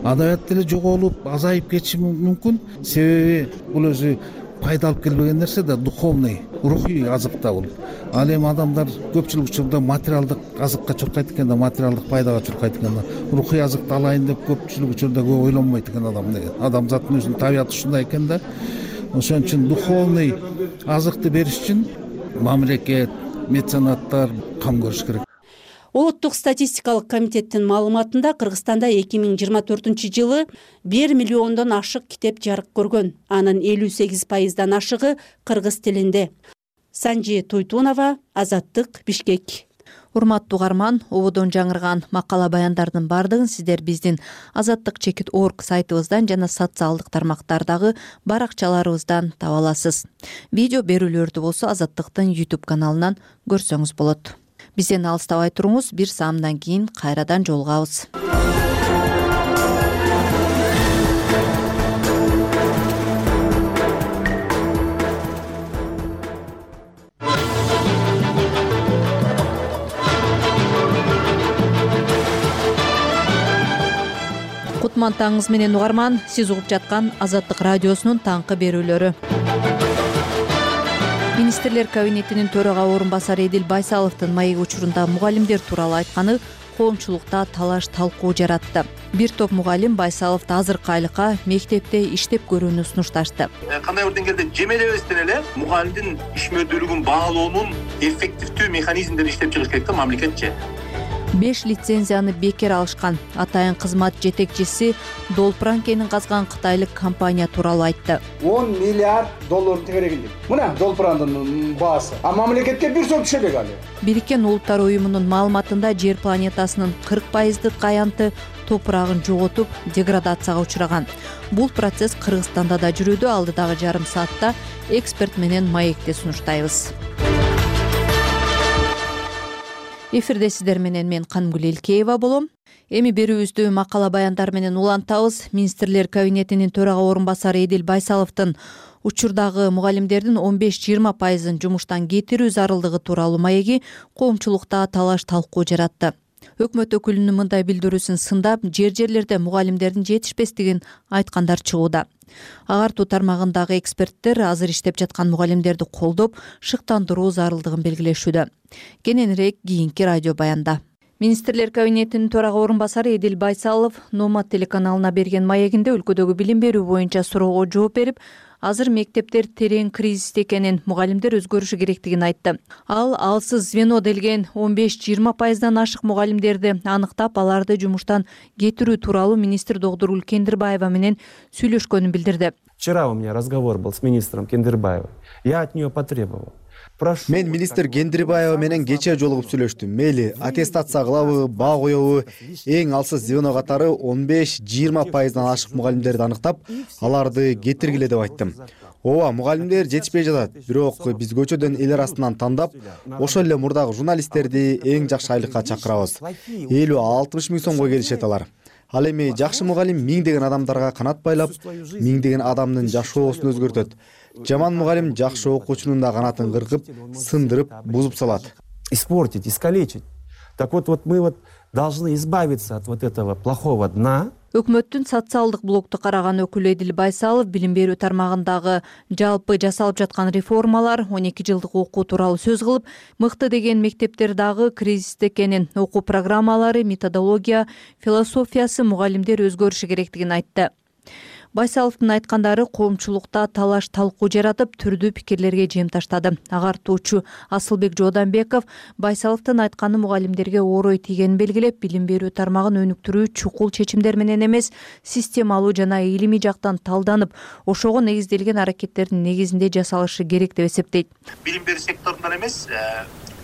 Адабият деле жоголуп, азайып кетиши мүмкүн. Себеби бул өзү пайда алып келбеген нерсе да, духовный, рухий азык да бул. Ал эми адамдар көпчүлүк учурда материалдык азыкка чуркайт экен да, материалдык пайдага чуркайт экен да. Рухий азыкты алайын деп көпчүлүк учурда көп ойлонбойт экен адам деген. Адамзаттын өзүнүн табияты ушундай экен да. Ошон үчүн духовный азыкты бериш үчүн мамлекет, меценаттар кам көрүш керек. Улуттук статистикалык комитеттин маалыматында Кыргызстанда эки миң жыйырма төртүнчү жылы бир миллиондон ашык китеп жарык көргөн. Анын элүү сегиз пайыздан ашыгы кыргыз тилинде. Санжи Туйтунова, Азаттык, Бишкек. Урматтуу угарман, ободон жаңырган макала баяндардын бардыгын сиздер биздин азаттык чекит орг сайтыбыздан жана социалдык тармактардагы баракчаларыбыздан таба аласыз. Видео берүүлөрдү болсо Азаттыктын YouTube каналынан көрсөңүз болот. Бизден алыстабай туруңуз, бир саамдан кийин кайрадан жолугабыз. Кутман таңыңыз менен угарман, сиз угуп жаткан Азаттык радиосунун таңкы берүүлөрү. Министрлер кабинетинин төрага орун басары Эдил Байсаловдун маек учурунда мугалимдер тууралуу айтканы коомчулукта талаш талкуу жаратты. Бир топ мугалим Байсаловду азыркы айлыкка мектепте иштеп көрүүнү сунушташты. Кандай бир деңгээлде жемелебестен эле мугалимдин ишмердүүлүгүн баалоонун эффективдүү механизмдерин иштеп чыгыш керек да мамлекетчи. беш лицензияны бекер алышкан атайын кызмат жетекчиси Долпран кенин казган кытайлык компания тууралуу айтты. он миллиард доллар тегерегинде. Мына Долпрандын баасы. А мамлекетке бир сом түшө элек алы. Бириккен Улуттар уюмунун маалыматында жер планетасынын кырк пайыздык аянты топурагын жоготуп, деградацияга учураган. Бул процесс Кыргызстанда да жүрүүдө. Алдыдагы жарым саатта эксперт менен маекти сунуштайбыз. Эфирде сиздер менен мен Кангүл Элкеева болом. Эми берүүбүздү макала баяндар менен улантабыз. Министрлер кабинетинин төрага орун басары Эдил Байсаловдун учурдагы мугалимдердин он беш жыйырма пайызын жумуштан кетирүү зарылдыгы тууралуу маеги коомчулукта талаш талкуу жаратты. Өкмөт өкүлүнүн мындай билдирүүсүн сындап, жер жерлерде мугалимдердин жетишпестигин айткандар чыгууда. Агартуу тармагындагы эксперттер азыр иштеп жаткан мугалимдерди колдоп, шыктандыруу зарылдыгын белгилешүүдө. Кененирээк кийинки радио баянда. Министрлер кабинетинин төрага орун басары Эдил Байсалов Номад телеканалына берген маегинде өлкөдөгү билим берүү боюнча суроого жооп берип, азыр мектептер терең кризисте экенин, мугалимдер өзгөрүшү керектигин айтты. Ал алсыз звено делген он беш жыйырма пайыздан ашык мугалимдерди аныктап, аларды жумуштан кетирүү тууралуу министр Догдургүл Кендирбаева менен сүйлөшкөнүн билдирди. Вчера у меня разговор был с министром Кендирбаевой. Я от нее потребовал. Мен министр Кендирбаева менен кечээ жолугуп сүйлөштүм. Мейли аттестация кылабы, баа коебу, эң алсыз звено катары он беш жыйырма пайыздан ашык мугалимдерди аныктап, аларды кетиргиле деп айттым. Ооба, мугалимдер жетишпей жатат, бирок биз көчөдөн эл арасынан тандап, ошол эле мурдагы журналисттерди эң жакшы айлыкка чакырабыз. элүү алтымыш миң сомго келишет алар. Ал эми жакшы мугалим миңдеген адамдарга канат байлап, миңдеген адамдын жашоосун өзгөртөт. Жаман мугалим жакшы окуучунун да канатын кыркып, сындырып, бузуп салат. Испортить, искалечить. Так вот, вот мы вот должны избавиться от вот этого плохого дна. Өкмөттүн социалдык блокту караган өкүлү Эдил Байсалов билим берүү тармагындагы жалпы жасалып жаткан реформалар, он эки жылдык окуу тууралуу сөз кылып, мыкты деген мектептер дагы кризисте экенин, окуу программалары, методология, философиясы, мугалимдер өзгөрүшү керектигин айтты. Байсаловдун айткандары коомчулукта талаш талкуу жаратып, түрдүү пикирлерге жем таштады. Агартуучу Асылбек Жооданбеков Байсаловдун айтканы мугалимдерге орой тийгенин белгилеп, билим берүү тармагын өнүктүрүү чукул чечимдер менен эмес, системалуу жана илимий жактан талданып, ошого негизделген аракеттердин негизинде жасалышы керек деп эсептейт. Билим берүү секторундан эмес,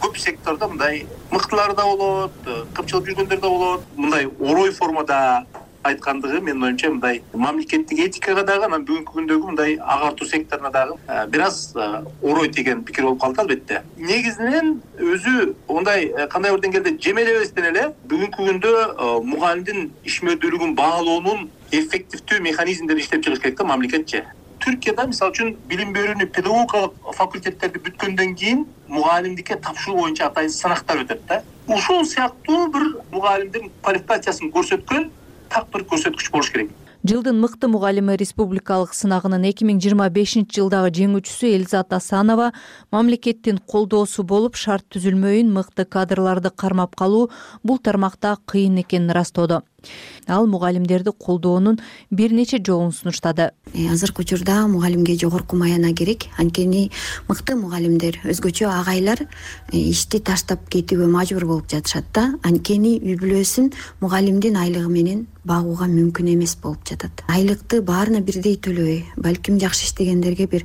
көп сектордо мындай мыктылар да болот, кымчылык жүргөндөр да болот. Мындай орой формада айткандыгы менин оюмча мындай мамлекеттик этикага дагы, анан бүгүнкү күндөгү мындай агартуу секторуна дагы бир аз орой тийген пикир болуп калды албетте. Негизинен өзү мындай кандай бир деңгээлде жемелебестен эле бүгүнкү күндө мугалимдин ишмердүүлүгүн баалоонун эффективдүү механизмдерин иштеп чыгыш керек да мамлекетчи. Түркияда мисалы үчүн билим берүүнү педагогикалык факультеттерди бүткөндөн кийин мугалимдикке тапшыруу боюнча атайын сынактар өтөт да. Ушул сыяктуу бир мугалимдин квалификациясын көрсөткөн так бир көрсөткүч болуш керек. Жылдын мыкты мугалими республикалык сынагынын эки миң жыйырма бешинчи жылдагы жеңүүчүсү Элизат Асанова мамлекеттин колдоосу болуп, шарт түзүлмөйүн, мыкты кадрларды кармап калуу бул тармакта кыйын экенин ырастоодо. Ал мугалимдерди колдоонун бир нече жолун сунуштады. Азыркы учурда мугалимге жогорку маяна керек. Анткени мыкты мугалимдер, өзгөчө агайлар ишти таштап кетүүгө мажбур болуп жатышат да. Анткени үй бүлөсүн мугалимдин айлыгы менен багууга мүмкүн эмес болуп жатат. Айлыкты баарына бирдей төлөбөй, балким жакшы иштегендерге бир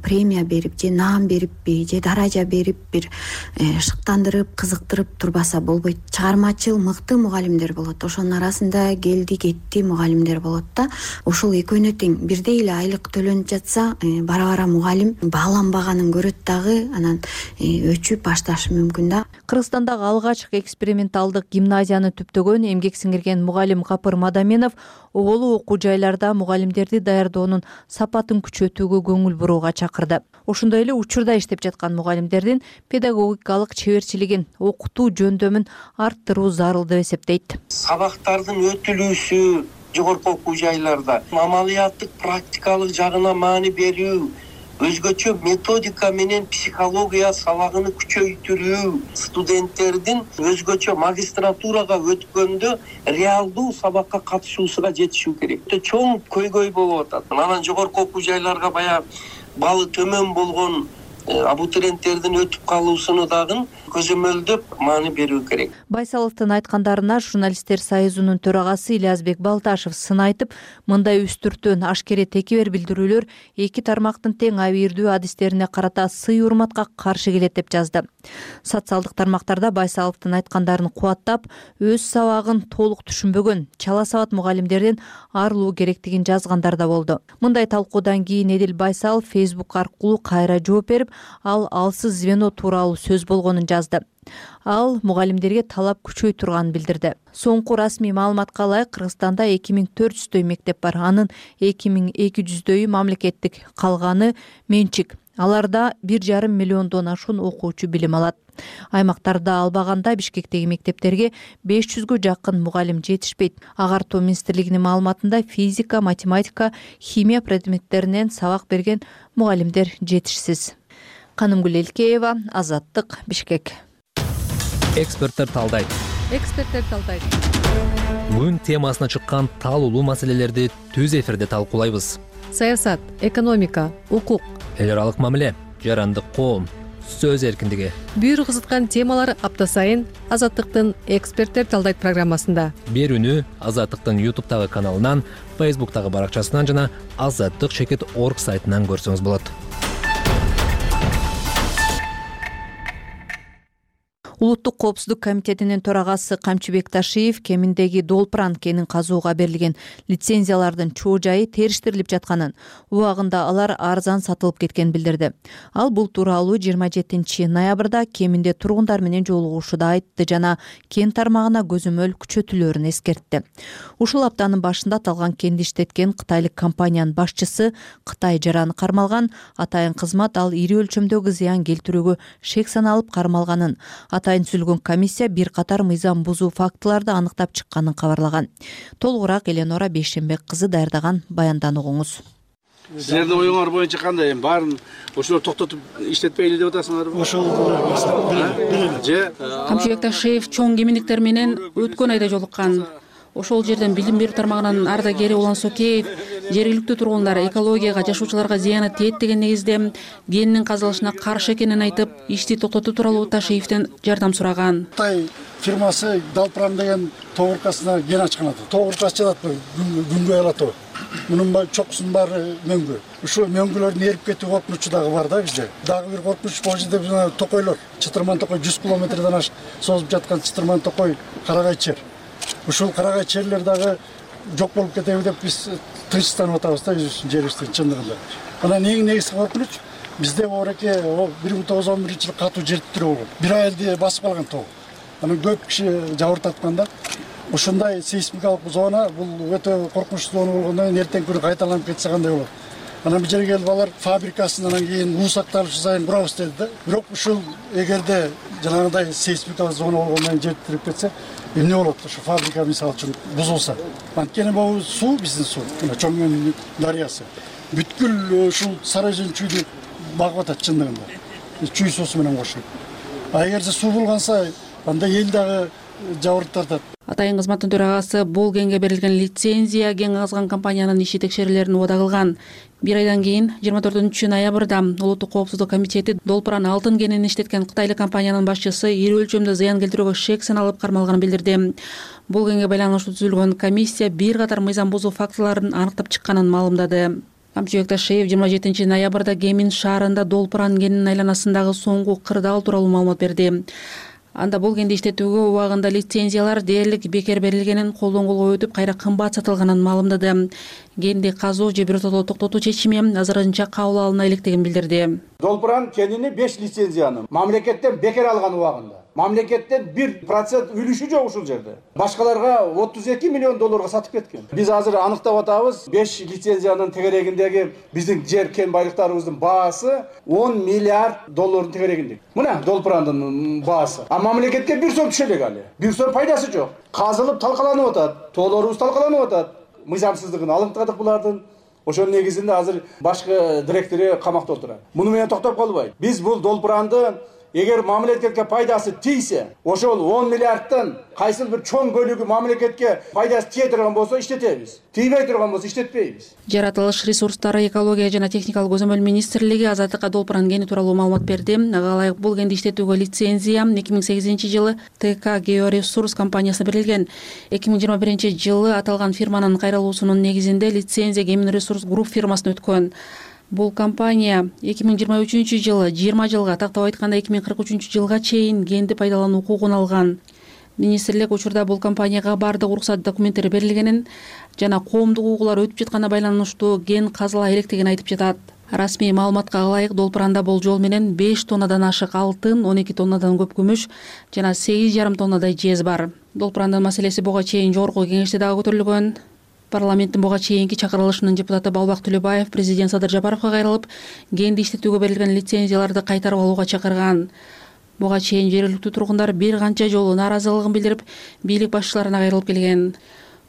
премия берип, же наам бериппи, же даража берип, бир шыктандырып, кызыктырып турбаса болбойт. Чыгармачыл мыкты мугалимдер болот. Ошонун арасында келди кетти мугалимдер болот да. Ошол экөөнө тең бирдей эле айлык төлөнүп жатса, бара-бара мугалим бааланбаганын көрөт дагы, анан өчүп башташы мүмкүн да. Кыргызстандагы алгачкы эксперименталдык гимназияны түптөгөн эмгек сиңирген мугалим Капыр Мадаменов оголу окуу жайларда мугалимдерди даярдоонун сапатын күчөтүүгө көңүл бурууга чакырды. Ошондой эле учурда иштеп жаткан мугалимдердин педагогикалык чеберчилигин, окутуу жөндөмүн арттыруу зарыл деп эсептейт. Сабактардын өтүлүүсү жогорку окуу жайларда амалияттык практикалык жагына маани берүү, өзгөчө методика менен психология сабагын күчөйтүрүү, студенттердин өзгөчө магистратурага өткөндө реалдуу сабакка катышуусуга жетишүү керек. Чоң көйгөй болуп атат. Анан жогорку окуу жайларга баягы балы төмөн болгон абутуренттердин өтүп калуусуну дагы көзөмөлдөп маани берүү керек. Байсаловдун айткандарына журналисттер союзунун төрагасы Ильязбек Балташев сын айтып, мындай үстүртөн ашкере текебер билдирүүлөр эки тармактын тең абийирдүү адистерине карата сый урматка каршы келет деп жазды. Социалдык тармактарда Байсаловдун айткандарын кубаттап, өз сабагын толук түшүнбөгөн чала сабат мугалимдерден арылуу керектигин жазгандар да болду. Мындай талкуудан кийин Эдил Байсалов Facebook аркылуу кайра жооп берип, ал алсыз звено тууралуу сөз болгонун жазды. Ал мугалимдерге талап күчөй турганын билдирди. Соңку расмий маалыматка ылайык Кыргызстанда эки миң төрт жүздөй мектеп бар. Анын эки миң эки жүздөйү мамлекеттик, калганы менчик. Аларда бир жарым миллиондон ашуун окуучу билим алат. Аймактарда албаганда Бишкектеги мектептерге беш жүзгө жакын мугалим жетишпейт. Агартуу министрлигинин маалыматында физика, математика, химия предметтеринен сабак берген мугалимдер жетишсиз. Канымгүл Элкеева, Азаттык, Бишкек. Эксперттер талдайт. Эксперттер талдайт. Күн темасына чыккан талуулуу маселелерди түз эфирде талкуулайбыз. Саясат, экономика, укук, эл аралык мамиле, жарандык коом, сөз эркиндиги. Бир кызыткан темалар апта сайын Азаттыктын эксперттер талдайт программасында. Берүүнү Азаттыктын ютубтагы каналынан, фейсбуктагы баракчасынан жана азаттык чекит точка орг сайтынан көрсөңүз болот. Улуттук коопсуздук комитетинин төрагасы Камчыбек Ташиев кеминдеги Долпран кенин казууга берилген лицензиялардын чоо жайы териштирилип жатканын, убагында алар арзан сатылып кеткенин билдирди. Ал бул тууралуу жыйырма жетинчи ноябрда кеминде тургундар менен жолугушууда айтты жана кен тармагына көзөмөл күчөтүлөөрүн эскертти. Ушул аптанын башында аталган кенди иштеткен кытайлык компаниянын башчысы Кытай жараны кармалган. Атайын кызмат ал ири өлчөмдөгү зыян келтирүүгө шек саналып кармалганын, атайын түзүлгөн комиссия бир катар мыйзам бузуу фактыларды аныктап чыкканын кабарлаган. Толугураак Эленора Бейшембек кызы даярдаган баяндан угуңуз. Силердин оюңар боюнча кандай? Эми баарын ошолор токтотуп иштетпейли деп атасыңарбы? Ошол же Камчыбек Ташиев чоң кеминдиктер менен өткөн айда жолуккан. Ошол жерден билим берүү тармагынан ардагери Улан Сокеев жергиликтүү тургундар экологияга, жашоочуларга зыяны тиет деген негизде кенинин казылышына каршы экенин айтып, ишти токтотуу тууралуу Ташиевден жардам сураган. Кытай фирмасы Долпран деген тогуркасына кен ачкан аты. Тогуркасы жатат, күнгөй алат о. Мунун чокусунун баары мөңгү. Ушул мөңгүлөрдүн эрип кетүү коркунучу дагы бар да бизде. Дагы бир коркунуч бул жерде жана токойлор, Чытырман токой жүз километрден ашык созуп жаткан Чытырман токой Карагай чер. Ушул Карагай черлер дагы жок болуп кетеби деп биз тынчсызданып атабыз да жерибиздин чындыгында. Анан эң негизги коркунуч бизде оореке бир миң тогуз жүз он биринчи жылы катуу жер титирөө болгон. Бир айылды басып алган тоо. Анан көп киши жабыртаткан да. Ушундай сейсмикалык зона бул өтө коркунучтуу зона болгондон кийин эртең күнү кайталанып кетсе кандай болот? Анан бул жерге келип алар фабрикасын анан кийин уусакталышы сайын курабыз деди да. Бирок ушул эгерде жанагындай сейсмикалык зона болгондон кийин жер титирип кетсе, эмне болот? Ушу фабрика мисалы үчүн бузулса. Анткени бул суу биздин суу, Чоңмен дарыясы. Бүткүл ушул Сары Өзөн чүйдү багып атат чындыгында. Чүй суусу менен кошулуп. А эгерде суу булганса, анда эл дагы жабырып тартат. Атайын кызматтын төрагасы бул генге берилген лицензия ген казган компаниянын иши текшерүүлөрүн убада кылган. Бир айдан кийин жыйырма төртүнчү ноябрда Улуттук коопсуздук комитети долпуран алтын кенин иштеткен кытайлык компаниянын башчысы ири өлчөмдө зыян келтирүүгө шек саналып кармалганын билдирди. Бул генге байланыштуу түзүлгөн комиссия бир катар мыйзам бузуу фактыларын аныктап чыкканын маалымдады. Камчыбек Ташиев жыйырма жетинчи ноябрда Гемин шаарында долпуран кенинин айланасындагы соңку кырдаал тууралуу маалымат берди. Анда бул кенди иштетүүгө убагында лицензиялар дээрлик бекер берилгенин, колдон колго өтүп кайра кымбат сатылганын маалымдады. Кенди казуу же биротодо токтотуу чечими азырынча кабыл алына электигин билдирди. Долпуран кенини беш лицензияны мамлекеттен бекер алган убагында мамлекеттен бир процент үлүшү жок ушул жерде. Башкаларга отуз эки миллион долларга сатып кеткен. Биз азыр аныктап атабыз, беш лицензиянын тегерегиндеги биздин жер кен байлыктарыбыздын баасы он миллиард доллардын тегерегинде. Мына долпурандын баасы. А мамлекетке бир сом түшө элек али. Бир сом пайдасы жок. Казылып талкаланып атат, тоолорубуз талкаланып атат. Мыйзамсыздыгын алыктадык булардын. Ошонун негизинде азыр башкы директору камакта отурат. Муну менен токтоп калбайт. Биз бул долпуранды эгер мамлекетке пайдасы тийсе, ошол он миллиардтан кайсыл бир чоң бөлүгү мамлекетке пайдасы тие турган болсо иштетебиз. Тийбей турган болсо иштетпейбиз. Жаратылыш ресурстары, экология жана техникалык көзөмөл министрлиги Азаттыкка долпуран кени тууралуу маалымат берди. Ага ылайык бул кенди иштетүүгө лицензия эки миң сегизинчи жылы Т К Георесурс компаниясына берилген. эки миң жыйырма биринчи жылы аталган фирманын кайрылуусунун негизинде лицензия Гемин Ресурс Групп фирмасына өткөн. Бул компания эки миң жыйырма үчүнчү жылы жыйырма жылга, тактап айтканда эки миң кырк үчүнчү жылга чейин кенди пайдалануу укугун алган. Министрлик учурда бул компанияга бардык уруксат документтери берилгенин жана коомдук угуулар өтүп жатканына байланыштуу кен казыла электигин айтып жатат. Расмий маалыматка ылайык долпуранда болжол менен беш тоннадан ашык алтын, он эки тоннадан көп күмүш жана сегиз жарым тоннадай жез бар. Долпурандын маселеси буга чейин жогорку кеңеште дагы көтөрүлгөн. Парламенттин буга чейинки чакырылышынын депутаты Балбак Төлөбаев президент Садыр Жапаровго кайрылып, кенди иштетүүгө берилген лицензияларды кайтарып алууга чакырган. Буга чейин жергиликтүү тургундар бир канча жолу нааразылыгын билдирип, бийлик башчыларына кайрылып келген.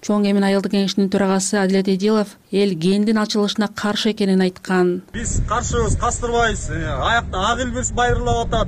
Чоң Эмин айылдык кеңешинин төрагасы Адилет Эдилов эл кендин ачылышына каршы экенин айткан. Биз каршыбыз, кастырбайбыз. Аякта ак илбирс байырлап атат.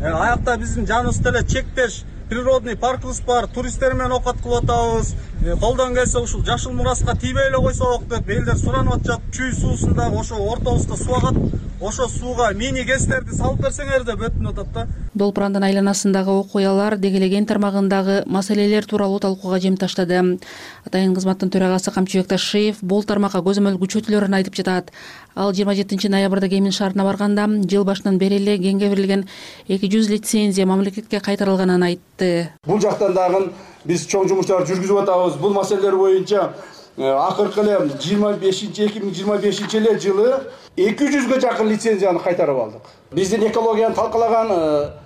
Аякта биздин жаныбызда эле чектеш природный паркыбыз бар, туристтер менен окат кылып атабыз. Колдон келсе ушул жашыл мураска тийбей эле койсок деп элдер суранып атышат. Чүй суусунда ошо ортобузга суу агат. Ошо сууга мини гэстерди салып берсеңер деп өтүнүп атат да. Долпурандын айланасындагы окуялар дегелеген тармагындагы маселелер тууралуу талкууга жем таштады. Атайын кызматтын төрагасы Камчыбек Ташиев бул тармакка көзөмөл күчөтүлөрүн айтып жатат. Ал жыйырма жетинчи ноябрда Гемин шаарына барганда жыл башынан бери эле кенге берилген эки жүз лицензия мамлекетке кайтарылганын айтты. Бул жактан дагы биз чоң жумуштарды жүргүзүп атабыз. Бул маселелер боюнча акыркы эле жыйырма бешинчи эки миң жыйырма бешинчи эле жылы эки жүзгө жакын лицензияны кайтарып алдык. Биздин экологияны талкалаган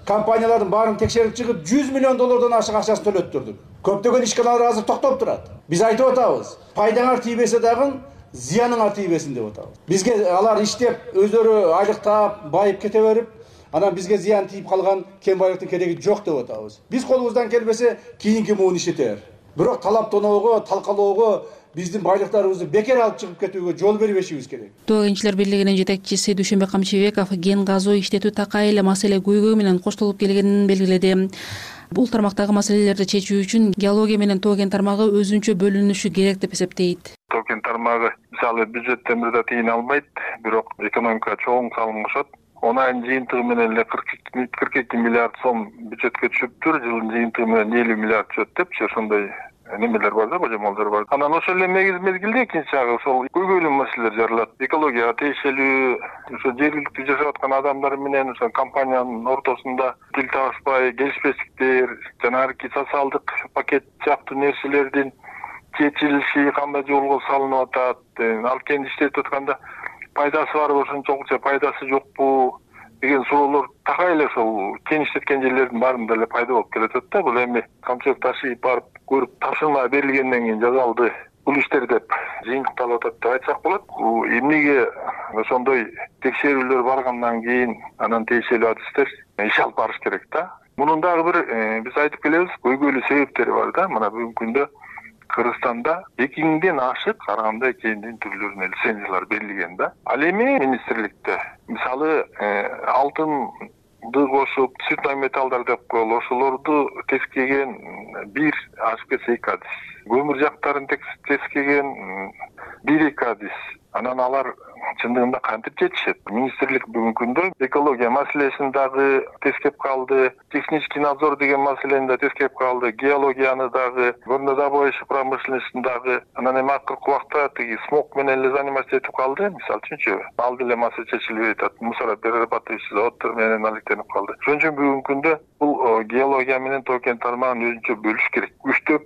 компаниялардын баарын текшерип чыгып жүз миллион доллардан ашык акчасын төлөттүрдүк. Көптөгөн ишканалар азыр токтоп турат. Биз айтып атабыз, пайдаңар тийбесе дагы зыяныңар тийбесин деп атабыз. Бизге алар иштеп, өздөрү айлык таап, байып кете берип, анан бизге зыян тийип калган кен байлыктын кереги жок деп атабыз. Биз колубуздан келбесе кийинки муун иштетер. Бирок талаптоноого, талкалоого, биздин байлыктарыбызды бекер алып чыгып кетүүгө жол бербешибиз керек. Тоо кенчилер бирлигинин жетекчиси Дүйшөнбек Камчыбеков кен казуу иштетүү такай эле маселе көйгөй менен коштолуп келгенин белгиледи. Бул тармактагы маселелерди чечүү үчүн геология менен тоо кен тармагы өзүнчө бөлүнүшү керек деп эсептейт. Тоо кен тармагы мисалы бюджеттен бир да тыйын алмайт, бирок экономикага чоң салым кошот. Онайын жыйынтыгы менен эле кырк эки миллиард сом бюджетке түшүптүр, жылдын жыйынтыгы менен элүү миллиард түшөт депчи, ошондой немелер бар да, божомолдор бар. Анан ошол эле мезгилде экинчи жагы ошол көйгөйлүү маселелер жаралат. Экологияга тиешелүү, ошо жергиликтүү жашап аткан адамдар менен ошо компаниянын ортосунда тил табышпай, келишпестиктер, жанагы социалдык пакет сыяктуу нерселердин чечилиши кандай жолго салынып атат, ал кен иштетип атканда пайдасы барбы, ошончолукча пайдасы жокпу деген суроолор такай эле ошол кен иштеткен жерлердин баарында эле пайда болуп келатат да. Бул эми Камчыбек Ташиев барып көрүп тапшырма берилгенден кийин жасалды бул иштер деп жыйынтыкталып атат деп айтсак болот. Эмнеге ошондой текшерүүлөр баргандан кийин анан тиешелүү адистер иш алып барыш керек да. Мунун дагы бир биз айтып келебиз, көйгөйлүү себептери бар да. Мына бүгүнкү күндө Кыргызстанда эки миңден ашык ар кандай кендин түрлөрүнө лицензиялар берилген да. Ал эми министрликте мисалы алтын кошуп цветной металлдар деп коелу, ошолорду тескеген бир аш пэ эки адис, көмүр жактарын тескеген бир эки адис. Анан алар чындыгында кантип жетишет? Министрлик бүгүнкү күндө экология маселесин дагы тескеп калды, технический надзор деген маселени да тескеп калды, геологияны дагы, горнодобывающий промышленностьун дагы. Анан эми акыркы убакта тиги смог менен эле заниматься этип калды. Мисалы үчүнчү, ал деле маселе чечилбей атат. Мусороперерабатывающий заводдор менен алектенип калды. Ошон үчүн бүгүнкү күндө бул геология менен тоо-кен тармагын өзүнчө бөлүш керек. Үчтөп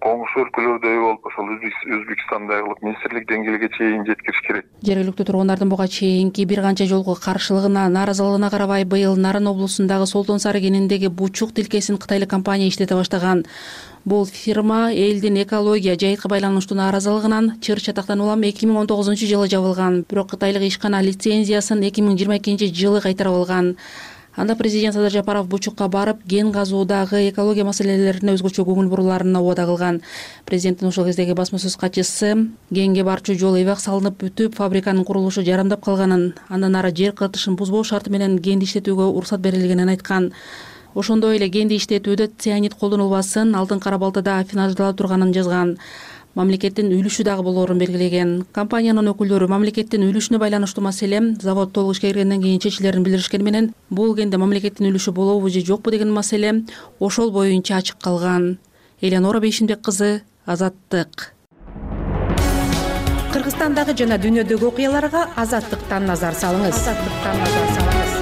коңшу өлкөлөрдөй болуп, ошол Өзбекстандай кылып министрлик деңгээлиге чейин жеткириш керек. Жергиликтүү тургундардын буга чейинки бир канча жолку каршылыгына, нааразылыгына карабай быйыл Нарын облусундагы Солтон Сары кенендеги Бучук тилкесин кытайлык компания иштете баштаган. Бул фирма элдин экология жайытка байланыштуу нааразылыгынан чыр чатактан улам эки миң он тогузунчу жылы жабылган, бирок кытайлык ишкана лицензиясын эки миң жыйырма экинчи жылы кайтарып алган. Анда президент Садыр Жапаров Бучукка барып, ген казуудагы экология маселелерине өзгөчө көңүл буруларын убада кылган. Президенттин ошол кездеги басма сөз катчысы генге барчу жол эбак салынып бүтүп, фабриканын курулушу жарандап калганын, андан ары жер кыртышын бузбоо шарты менен генди иштетүүгө уруксат берилгенин айткан. Ошондой эле генди иштетүүдө цианид колдонулбасын, алтын кара балтада афинаждалып турганын жазган. Мамлекеттин үлүшү дагы болоорун белгилеген. Компаниянын өкүлдөрү мамлекеттин үлүшүнө байланыштуу маселе завод толук ишке киргенден кийин чечилерин билдиришкени менен, бул генде мамлекеттин үлүшү болобу же жокпу деген маселе ошол боюнча ачык калган. Элеонора Бейшимбек кызы, Азаттык. Кыргызстандагы жана дүйнөдөгү окуяларга Азаттыктан назар салыңыз. Азаттыктан назар салыңыз.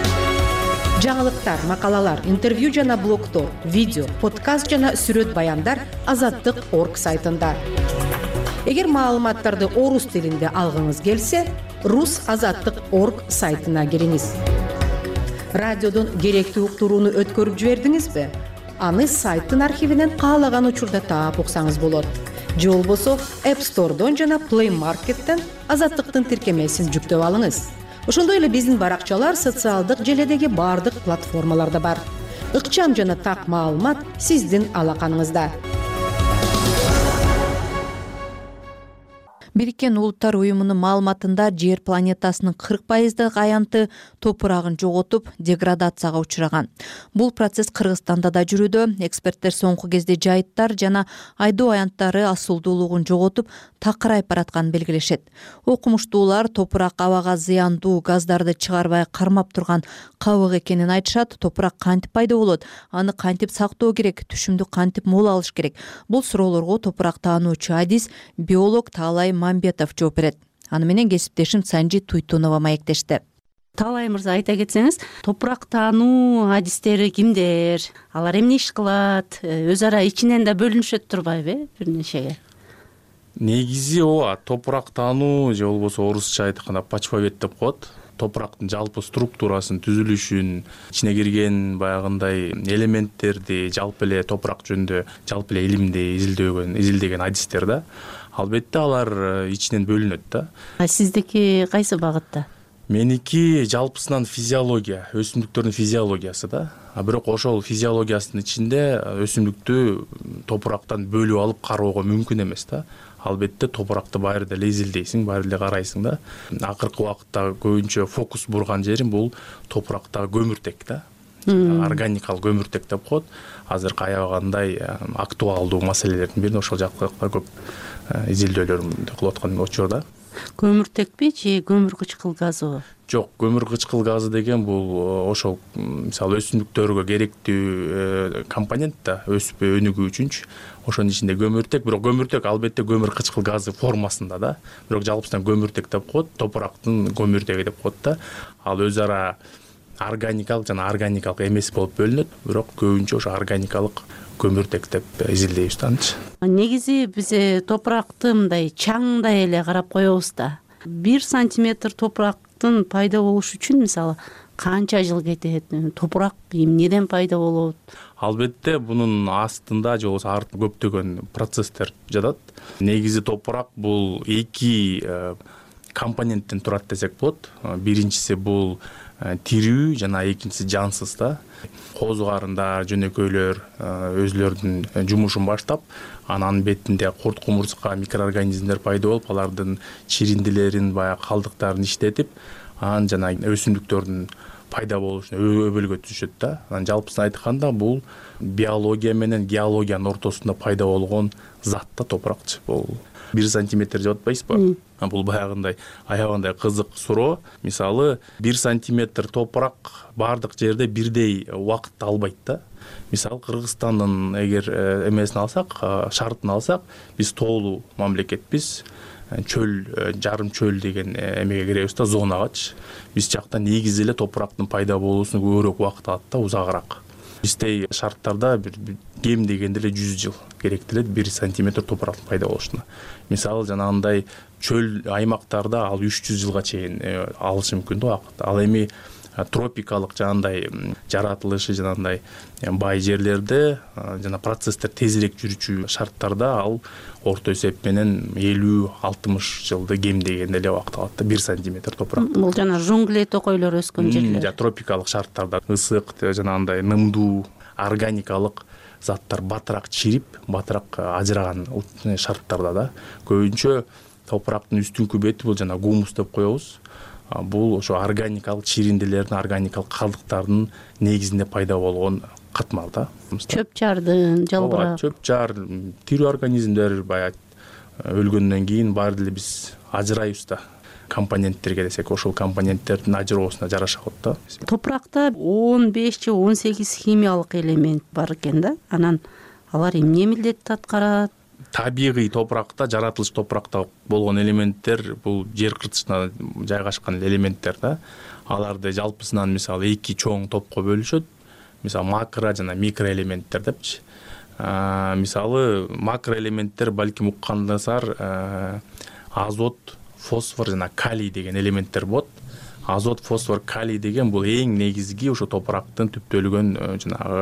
Жаңылыктар, макалалар, интервью жана блогтор, видео, подкаст жана сүрөт баяндар азаттык точка орг сайтында. Эгер маалыматтарды орус тилинде алгыңыз келсе, рус азаттык точка орг сайтына кириңиз. Радиодон керектүү уктурууну өткөрүп жибердиңизби? Аны сайттын архивинен каалаган учурда таап уксаңыз болот. Же болбосо App Store'дон жана Play Market'тен азаттыктын тиркемесин жүктөп алыңыз. Ошондой эле биздин баракчалар социалдык желедеги бардык платформаларда бар. Ыкчам жана так маалымат сиздин алаканыңызда. Бириккен Улуттар уюмунун маалыматында жер планетасынын кырк пайыздык аянты топурагын жоготуп, деградацияга учураган. Бул процесс Кыргызстанда да жүрүүдө. Эксперттер соңку кезде жайыттар жана айдоо аянттары асылдуулугун жоготуп, такырайып баратканын белгилешет. Окумуштуулар топурак абага зыяндуу газдарды чыгарбай кармап турган кабык экенин айтышат. Топурак кантип пайда болот? Аны кантип сактоо керек? Түшүмдү кантип мол алыш керек? Бул суроолорго топурак таануучу адис, биолог Таалай Мамбетов жооп берет. Аны менен кесиптешим Санжи Туйтунова маектешти. Таалай мырза, айта кетсеңиз, топурак таануу адистери кимдер? Алар эмне иш кылат? Өз ара ичинен да бөлүнүшөт турбайбы бир нечеге? Негизи ооба, топурак таануу же болбосо орусча айтканда почвовед деп коет. Топурактын жалпы структурасын, түзүлүшүн, ичине кирген баягындай элементтерди, жалпы эле топурак жөнүндө жалпы эле илимди изилдөгөн, изилдеген адистер да. Албетте алар ичинен бөлүнөт да. А сиздики кайсы багытта? Меники жалпысынан физиология, өсүмдүктөрдүн физиологиясы да. А бирок ошол физиологиясынын ичинде өсүмдүктү топурактан бөлүп алып кароого мүмкүн эмес да. Албетте топуракты баары деле изилдейсиң, баары эле карайсың да. Акыркы убакытта көбүнчө фокус бурган жерим бул топурактагы көмүртек да. Органикалык көмүртек деп коет. Азыркы аябагандай актуалдуу маселелердин бири ошол жакта көп изилдөөлөрдү кылып аткан учурда. Көмүртекпи же көмүр кычкыл газыбы? Жок, көмүр кычкыл газы деген бул ошол мисалы өсүмдүктөргө керектүү компонент да, өсүп өнүгүү үчүнчү. Ошонун ичинде көмүртек, бирок көмүртек албетте көмүр кычкыл газы формасында да. Бирок жалпысынан көмүртек деп коет, топурактын көмүртеги деп коет да. Ал өз ара органикалык жана органикалык эмес болуп бөлүнөт, бирок көбүнчө ошо органикалык көмүртек деп изилдейбиз да. Негизи биз топуракты мындай чаңдай эле карап коебуз да. Бир сантиметр топурактын пайда болушу үчүн мисалы канча жыл кетет? Топурак эмнеден пайда болот? Албетте бунун астында же болбосо артында көптөгөн процесстер жатат. Негизи топурак бул эки компоненттен турат десек болот. Биринчиси бул тирүү жана экинчиси жансыз да. Козугарында жөнөкөйлөр өзлөрүнүн жумушун баштап, анын бетинде курт кумурска микроорганизмдер пайда болуп, алардын чириндилерин, баягы калдыктарын иштетип, анан жана өсүмдүктөрдүн пайда болуу үчүн өбөлгө түзүшөт да. Анан жалпысын айтканда бул биология менен геологиянын ортосунда пайда болгон зат да топуракчы. Бул бир сантиметр деп атпайсызбы? Бул баягындай аябагандай кызык суроо. Мисалы бир сантиметр топурак бардык жерде бирдей убакытты албайт да. Мисалы Кыргызстандын эгер эмесин алсак, шартын алсак, биз тоолуу мамлекетпиз. Чөл, жарым чөл деген эмеге киребиз да, зонагачы. Биз жакта негизи эле топурактын пайда болуусуна көбүрөөк убакыт алат да, узагыраак. Биздей шарттарда бир кем дегенде эле жүз жыл керектелет бир сантиметр топурактын пайда болушуна. Мисалы жанагындай чөл аймактарда ал үч жүз жылга чейин алышы мүмкүн да убакыт. Ал эми тропикалык жанагындай жаратылышы жанагындай бай жерлерде жана процесстер тезирээк жүрүүчү шарттарда ал орто эсеп менен элүү алтымыш жылды кем дегенде эле убакыт алат да, бир сантиметр топурак. Бул жана жунгли токойлор өскөн жерлер. Тропикалык шарттарда ысык, жанагындай нымдуу, органикалык заттар батыраак чирип, батыраак ажыраган шарттарда да. Көбүнчө топурактын үстүнкү бети бул жана гумус деп коебуз. Бул ошо органикалык чиринделердин, органикалык калдыктардын негизинде пайда болгон катмал да. Чөп жардын, жалбырак. Чөп жар, тирүү организмдер баягы өлгөндөн кийин баары деле биз ажырайбыз да. Компоненттерге десек, ошол компоненттердин ажыроосуна жараша болот да. Топуракта он беш же он сегиз химиялык элемент бар экен да. Анан алар эмне милдетти аткарат? Табигый топуракта, жаратылыш топуракта болгон элементтер бул жер кыртышына жайгашкан элементтер да. Аларды жалпысынан мисалы эки чоң топко бөлүшөт. Мисалы макро жана микро элементтер депчи. Мисалы макро элементтер балким уккандасар азот, фосфор жана калий деген элементтер болот. Азот, фосфор, калий деген бул эң негизги ошо топурактын түптөлгөн жанагы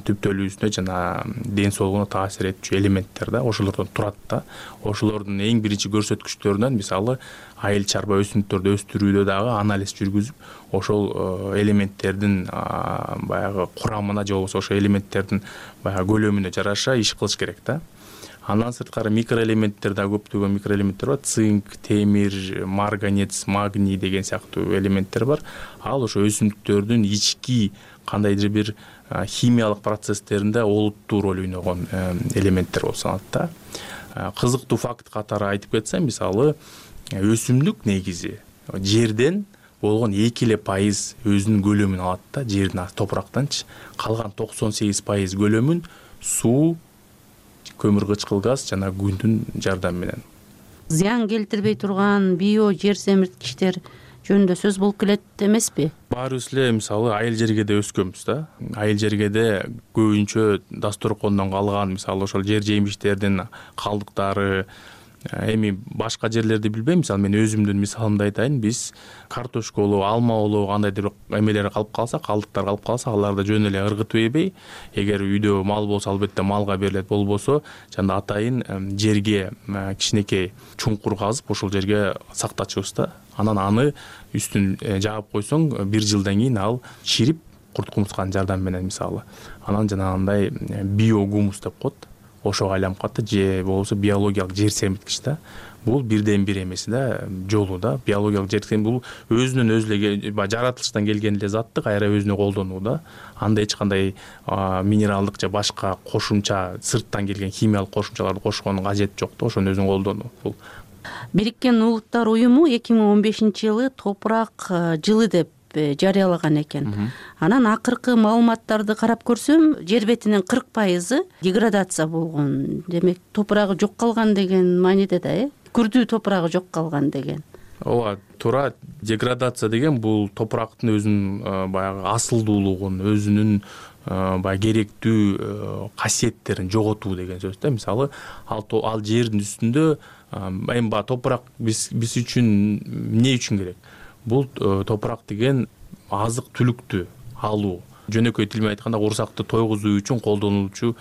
түптөлүүсүнө жана ден соолугуна таасир этчү элементтер да. Ошолордон турат да. Ошолордун эң биринчи көрсөткүчтөрүнөн мисалы айыл чарба өсүмдүктөрдү өстүрүүдө дагы анализ жүргүзүп ошол элементтердин баягы курамына же болбосо ошол элементтердин баягы көлөмүнө жараша иш кылыш керек да. Андан сырткары микроэлементтер да көптөгөн микроэлементтер бар. Цинк, темир, марганец, магний деген сыяктуу элементтер бар. Ал ошо өсүмдүктөрдүн ички кандайдыр бир химиялык процесстеринде олуттуу роль ойногон элементтер болуп саналат да. Кызыктуу факт катары айтып кетсем, мисалы өсүмдүк негизи жерден болгон эки эле пайыз өзүнүн көлөмүн алат да, жердин топурактанчы. Калган токсон сегиз пайыз көлөмүн суу, көмүр кычкыл газ жана күндүн жардамы менен. Зыян келтирбей турган био жер семирткичтер жөнүндө сөз болуп келет эмеспи? Баарыбыз эле мисалы айыл жергеде өскөнбүз да. Айыл жергеде көбүнчө дасторкондон калган мисалы ошол жер жемиштердин калдыктары, эми башка жерлерди билбейм, мисалы мен өзүмдүн мисалымды айтайын. Биз картошка болобу, алма болобу, кандайдыр эмелер калып калса, калдыктар калып калса, аларды жөн эле ыргытып эбей, эгер үйдө мал болсо албетте малга берилет, болбосо жана атайын жерге кичинекей чуңкур казып, ошол жерге сактачубуз да. Анан аны үстүн жаап койсоң, бир жылдан кийин ал чирип, курт кумурсканын жардамы менен мисалы. Анан жанагындай биогумус деп коет. Ошого айланып калат же болбосо биологиялык жер семирткич да. Бул бирден бир эмес да, жолу да. Биологиялык жер семирткич бул өзүнүн өзү эле жаратылыштан келген эле затты кайра өзүнө колдонуу да. Анда эч кандай минералдык же башка кошумча сырттан келген химиялык кошумчаларды кошкондун кажети жок да, ошону өзүнүн колдонуу бул. Бириккен Улуттар уюму эки миң он бешинчи жылы топурак жылы деп жарыялаган экен. Анан акыркы маалыматтарды карап көрсөм, жер бетинин кырк пайызы деградация болгон. Демек, топурагы жок калган деген мааниде да, э? Күрдүү топурагы жок калган деген. Ооба, туура. Деградация деген бул топурактын өзүнүн баягы асылдуулугун, өзүнүн баягы керектүү касиеттерин жоготуу деген сөз да. Мисалы, ал ал жердин үстүндө эми ба топурак биз биз үчүн эмне үчүн керек? Бул топурак деген азык түлүктү алуу. Жөнөкөй тил менен айтканда курсакты тойгузуу үчүн колдонулчу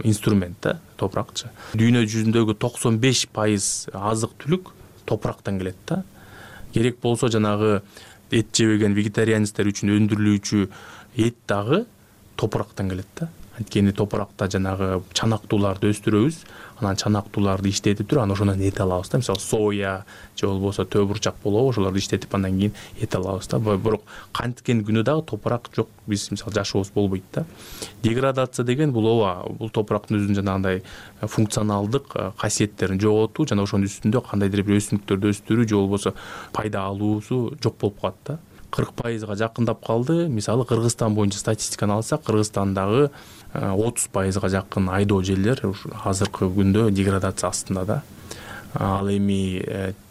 инструмент да, топуракчы. Дүйнө жүзүндөгү токсон беш пайыз азык түлүк топурактан келет да. Керек болсо жанагы эт жебеген вегетарианецтер үчүн өндүрүлүүчү эт дагы топурактан келет да. анткени топуракта жанагы чанактууларды өстүрөбүз, анан чанактууларды иштетип туруп анан ошондон эт алабыз да. Мисалы соя же болбосо төө бурчак болобу, ошолорду иштетип андан кийин эт алабыз да. Бирок канткен күнү дагы топурак жок, биз мисалы жашообуз болбойт да. Деградация деген бул ооба, бул топурактын өзүнүн жанагындай функционалдык касиеттерин жоготуу жана ошонун үстүндө кандайдыр бир өсүмдүктөрдү өстүрүү же болбосо пайда алуусу жок болуп калат да. кырк пайызга жакындап калды. Мисалы Кыргызстан боюнча статистиканы алсак, Кыргызстандагы отуз пайызга жакын айдоо жерлер азыркы күндө деградация астында да. Ал эми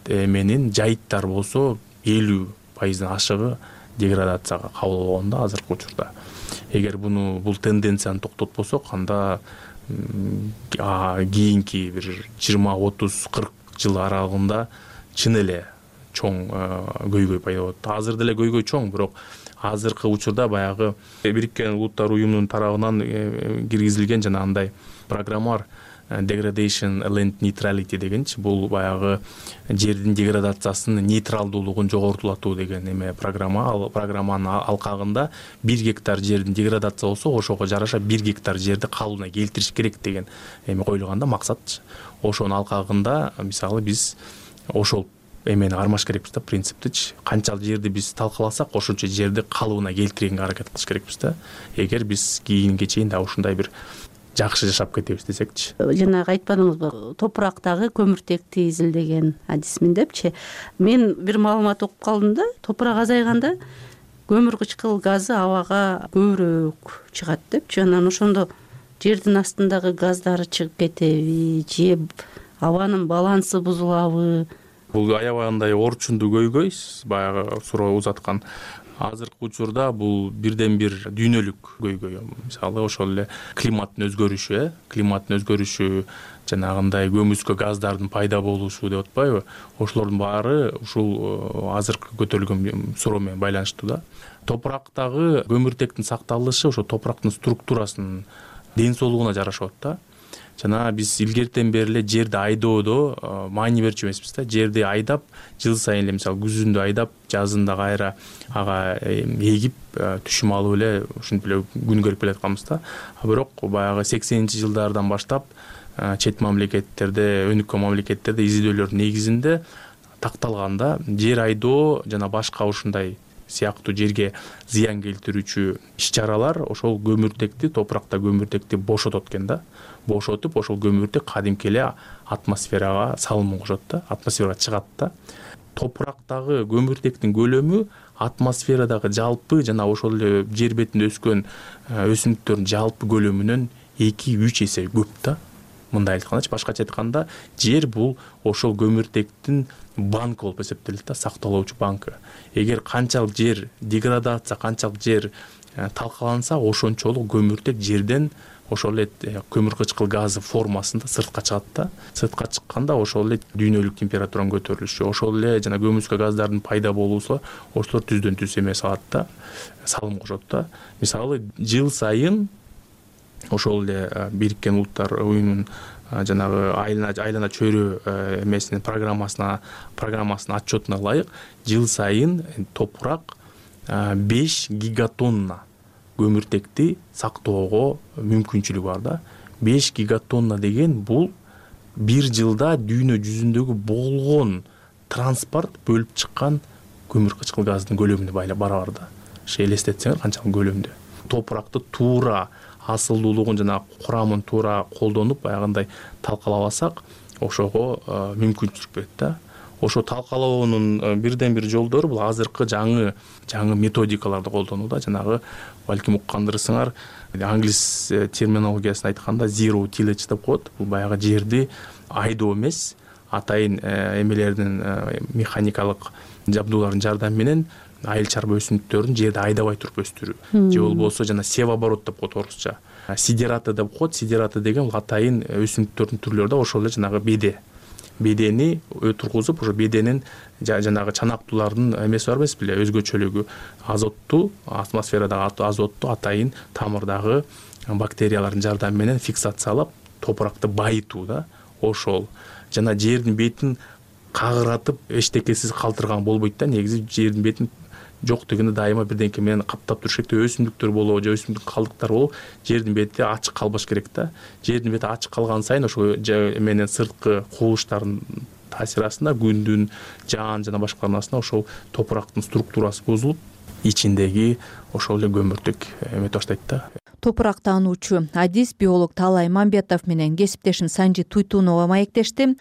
эменин жайыттар болсо элүү пайыздын ашыгы деградацияга кабыл болгон да азыркы учурда. Эгер буну бул тенденцияны токтотпосок, анда кийинки бир жыйырма отуз кырк жыл аралыгында чын эле чоң көйгөй пайда болот. Азыр деле көйгөй чоң, бирок азыркы учурда баягы Бириккен Улуттар уюмунун тарабынан киргизилген жанагындай программа бар, Degradation Land Neutrality дегенчи, бул баягы жердин деградациясынын нейтралдуулугун жогортулатуу деген эме программа. Ал программанын алкагында бир гектар жердин деградация болсо, ошого жараша бир гектар жерди калыбына келтириш керек деген эме коюлган да, максат. Ошонун алкагында мисалы биз ошол эмени кармаш керекпиз да, принциптичи. Канчалык жерди биз талкаласак, ошончо жерди калыбына келтиргенге аракет кылыш керекпиз да. Эгер биз кийинге чейин да ушундай бир жакшы жашап кетебиз десекчи. Жанагы айтпадыңызбы, топурактагы көмүртекти изилдеген адисмин депчи. Мен бир маалымат окуп калдым да, топурак азайганда көмүр кычкыл газы абага көбүрөөк чыгат депчи. Анан ошондо жердин астындагы газдары чыгып кетеби же абанын балансы бузулабы? Бул аябагандай орчундуу көйгөй, баягы суроо узаткан. Азыркы учурда бул бирден бир дүйнөлүк көйгөй. Мисалы ошол эле климаттын өзгөрүшү, э, климаттын өзгөрүшү, жанагындай көмүскө газдардын пайда болушу деп атпайбы? Ошолордун баары ушул азыркы көтөрүлгөн суроо менен байланыштуу да. Топурактагы көмүртектин сакталышы ошо топурактын структурасынын ден соолугуна жарашат да. Жана биз илгертен бери эле жерди айдоодо маани берчү эмеспиз да. Жерди айдап, жыл сайын эле мисалы күзүндө айдап, жазында кайра ага эгип, түшүм алып эле ушинтип эле күн көрүп келатканбыз да. Бирок баягы сексенинчи жылдардан баштап чет мамлекеттерде, өнүккөн мамлекеттерде изилдөөлөрдүн негизинде такталганда жер айдоо жана башка ушундай сыяктуу жерге зыян келтирүүчү иш-чаралар ошол көмүртекти, топуракта көмүртекти бошотот экен да. Бошотуп, ошол көмүртек кадимки эле атмосферага салымын кошот да, атмосферага чыгат да. Топурактагы көмүртектин көлөмү атмосферадагы жалпы жана ошол эле жер бетинде өскөн өсүмдүктөрдүн жалпы көлөмүнөн эки үч эсе көп да. Мындай айткандачы, башкача айтканда, жер бул ошол көмүртектин банкы болуп эсептелет да, сакталуучу банкы. Эгер канчалык жер деградация, канчалык жер талкаланса, ошончолук көмүртек жерден ошол эле көмүр кычкыл газы формасында сыртка чыгат да. Сыртка чыкканда ошол эле дүйнөлүк температуранын көтөрүлүшү, ошол эле жана көмүскө газдардын пайда болуусу ошолор түздөн түз эме салат да, салым кошот да. Мисалы жыл сайын ошол эле Бириккен Улуттар уюмунун жанагы айлана айлана чөйрө эмесинин программасына программасынын отчетуна ылайык, жыл сайын топурак беш гигатонна көмүртекти сактоого мүмкүнчүлүгү бар да. беш гигатонна деген бул бир жылда дүйнө жүзүндөгү болгон транспорт бөлүп чыккан көмүр кычкыл газдын көлөмүнө барабар да. Ошо элестетсеңер канчалык көлөмдө. Топуракты туура асылдуулугун жана курамын туура колдонуп баягындай талкалабасак, ошого мүмкүнчүлүк берет да. Ошо талкалоонун бирден бир жолдору бул азыркы жаңы жаңы методикаларды колдонуу да. Жанагы балким уккандырсыңар, англис терминологиясын айтканда zero tillage деп коет. Бул баягы жерди айдоо эмес, атайын эмелердин механикалык жабдуулардын жардамы менен айыл чарба өсүмдүктөрүн жерди айдабай туруп өстүрүү. Же болбосо жана севооборот деп коет орусча. Сидераты деп коет. Сидераты деген бул атайын өсүмдүктөрдүн түрлөрү да, ошол эле жанагы беде. Бедени тургузуп, ошо беденин жанагы чанактуулардын эмеси бар эмес беле, өзгөчөлүгү, азотту, атмосферадагы азотту атайын тамырдагы бактериялардын жардамы менен фиксациялап, топуракты байытуу да. Ошол жана жердин бетин кагыратып эчтекесиз калтырган болбойт да. Негизи жердин бетин жок дегенде дайыма бирдеңке менен каптап туруш керек. Өсүмдүктөр болобу же өсүмдүк калдыктары болобу жердин бети ачык калбаш керек да. Жердин бети ачык калган сайын ошо менен сырткы кубулуштардын таасири астында күндүн, жаан жана башкалардын астында ошол топурактын структурасы бузулуп, ичиндеги ошол эле көмүртүк эметип баштайт да. Топурак таануучу адис биолог Таалай Мамбетов менен кесиптешим Санжи Туйтунова маектешти.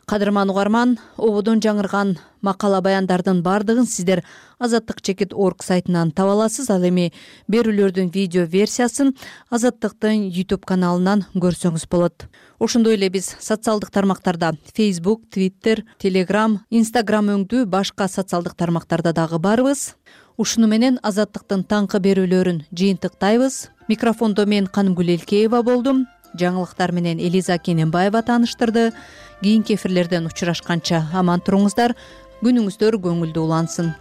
Кадырман угарман, ободон жаңырган макала баяндардын бардыгын сиздер азаттык чекит точка орг сайтынан таба аласыз. Ал эми берүүлөрдүн видео версиясын Азаттыктын YouTube каналынан көрсөңүз болот. Ошондой эле биз социалдык тармактарда Facebook, Twitter, Telegram, Instagram өңдүү башка социалдык тармактарда дагы барбыз. Ушуну менен Азаттыктын таңкы берүүлөрүн жыйынтыктайбыз. Микрофондо мен Канымгүл Элкеева болдум. Жаңылыктар менен Элиза Кененбаева тааныштырды. Кийинки эфирлерден учурашканча аман туруңуздар, күнүңүздөр көңүлдүү улансын.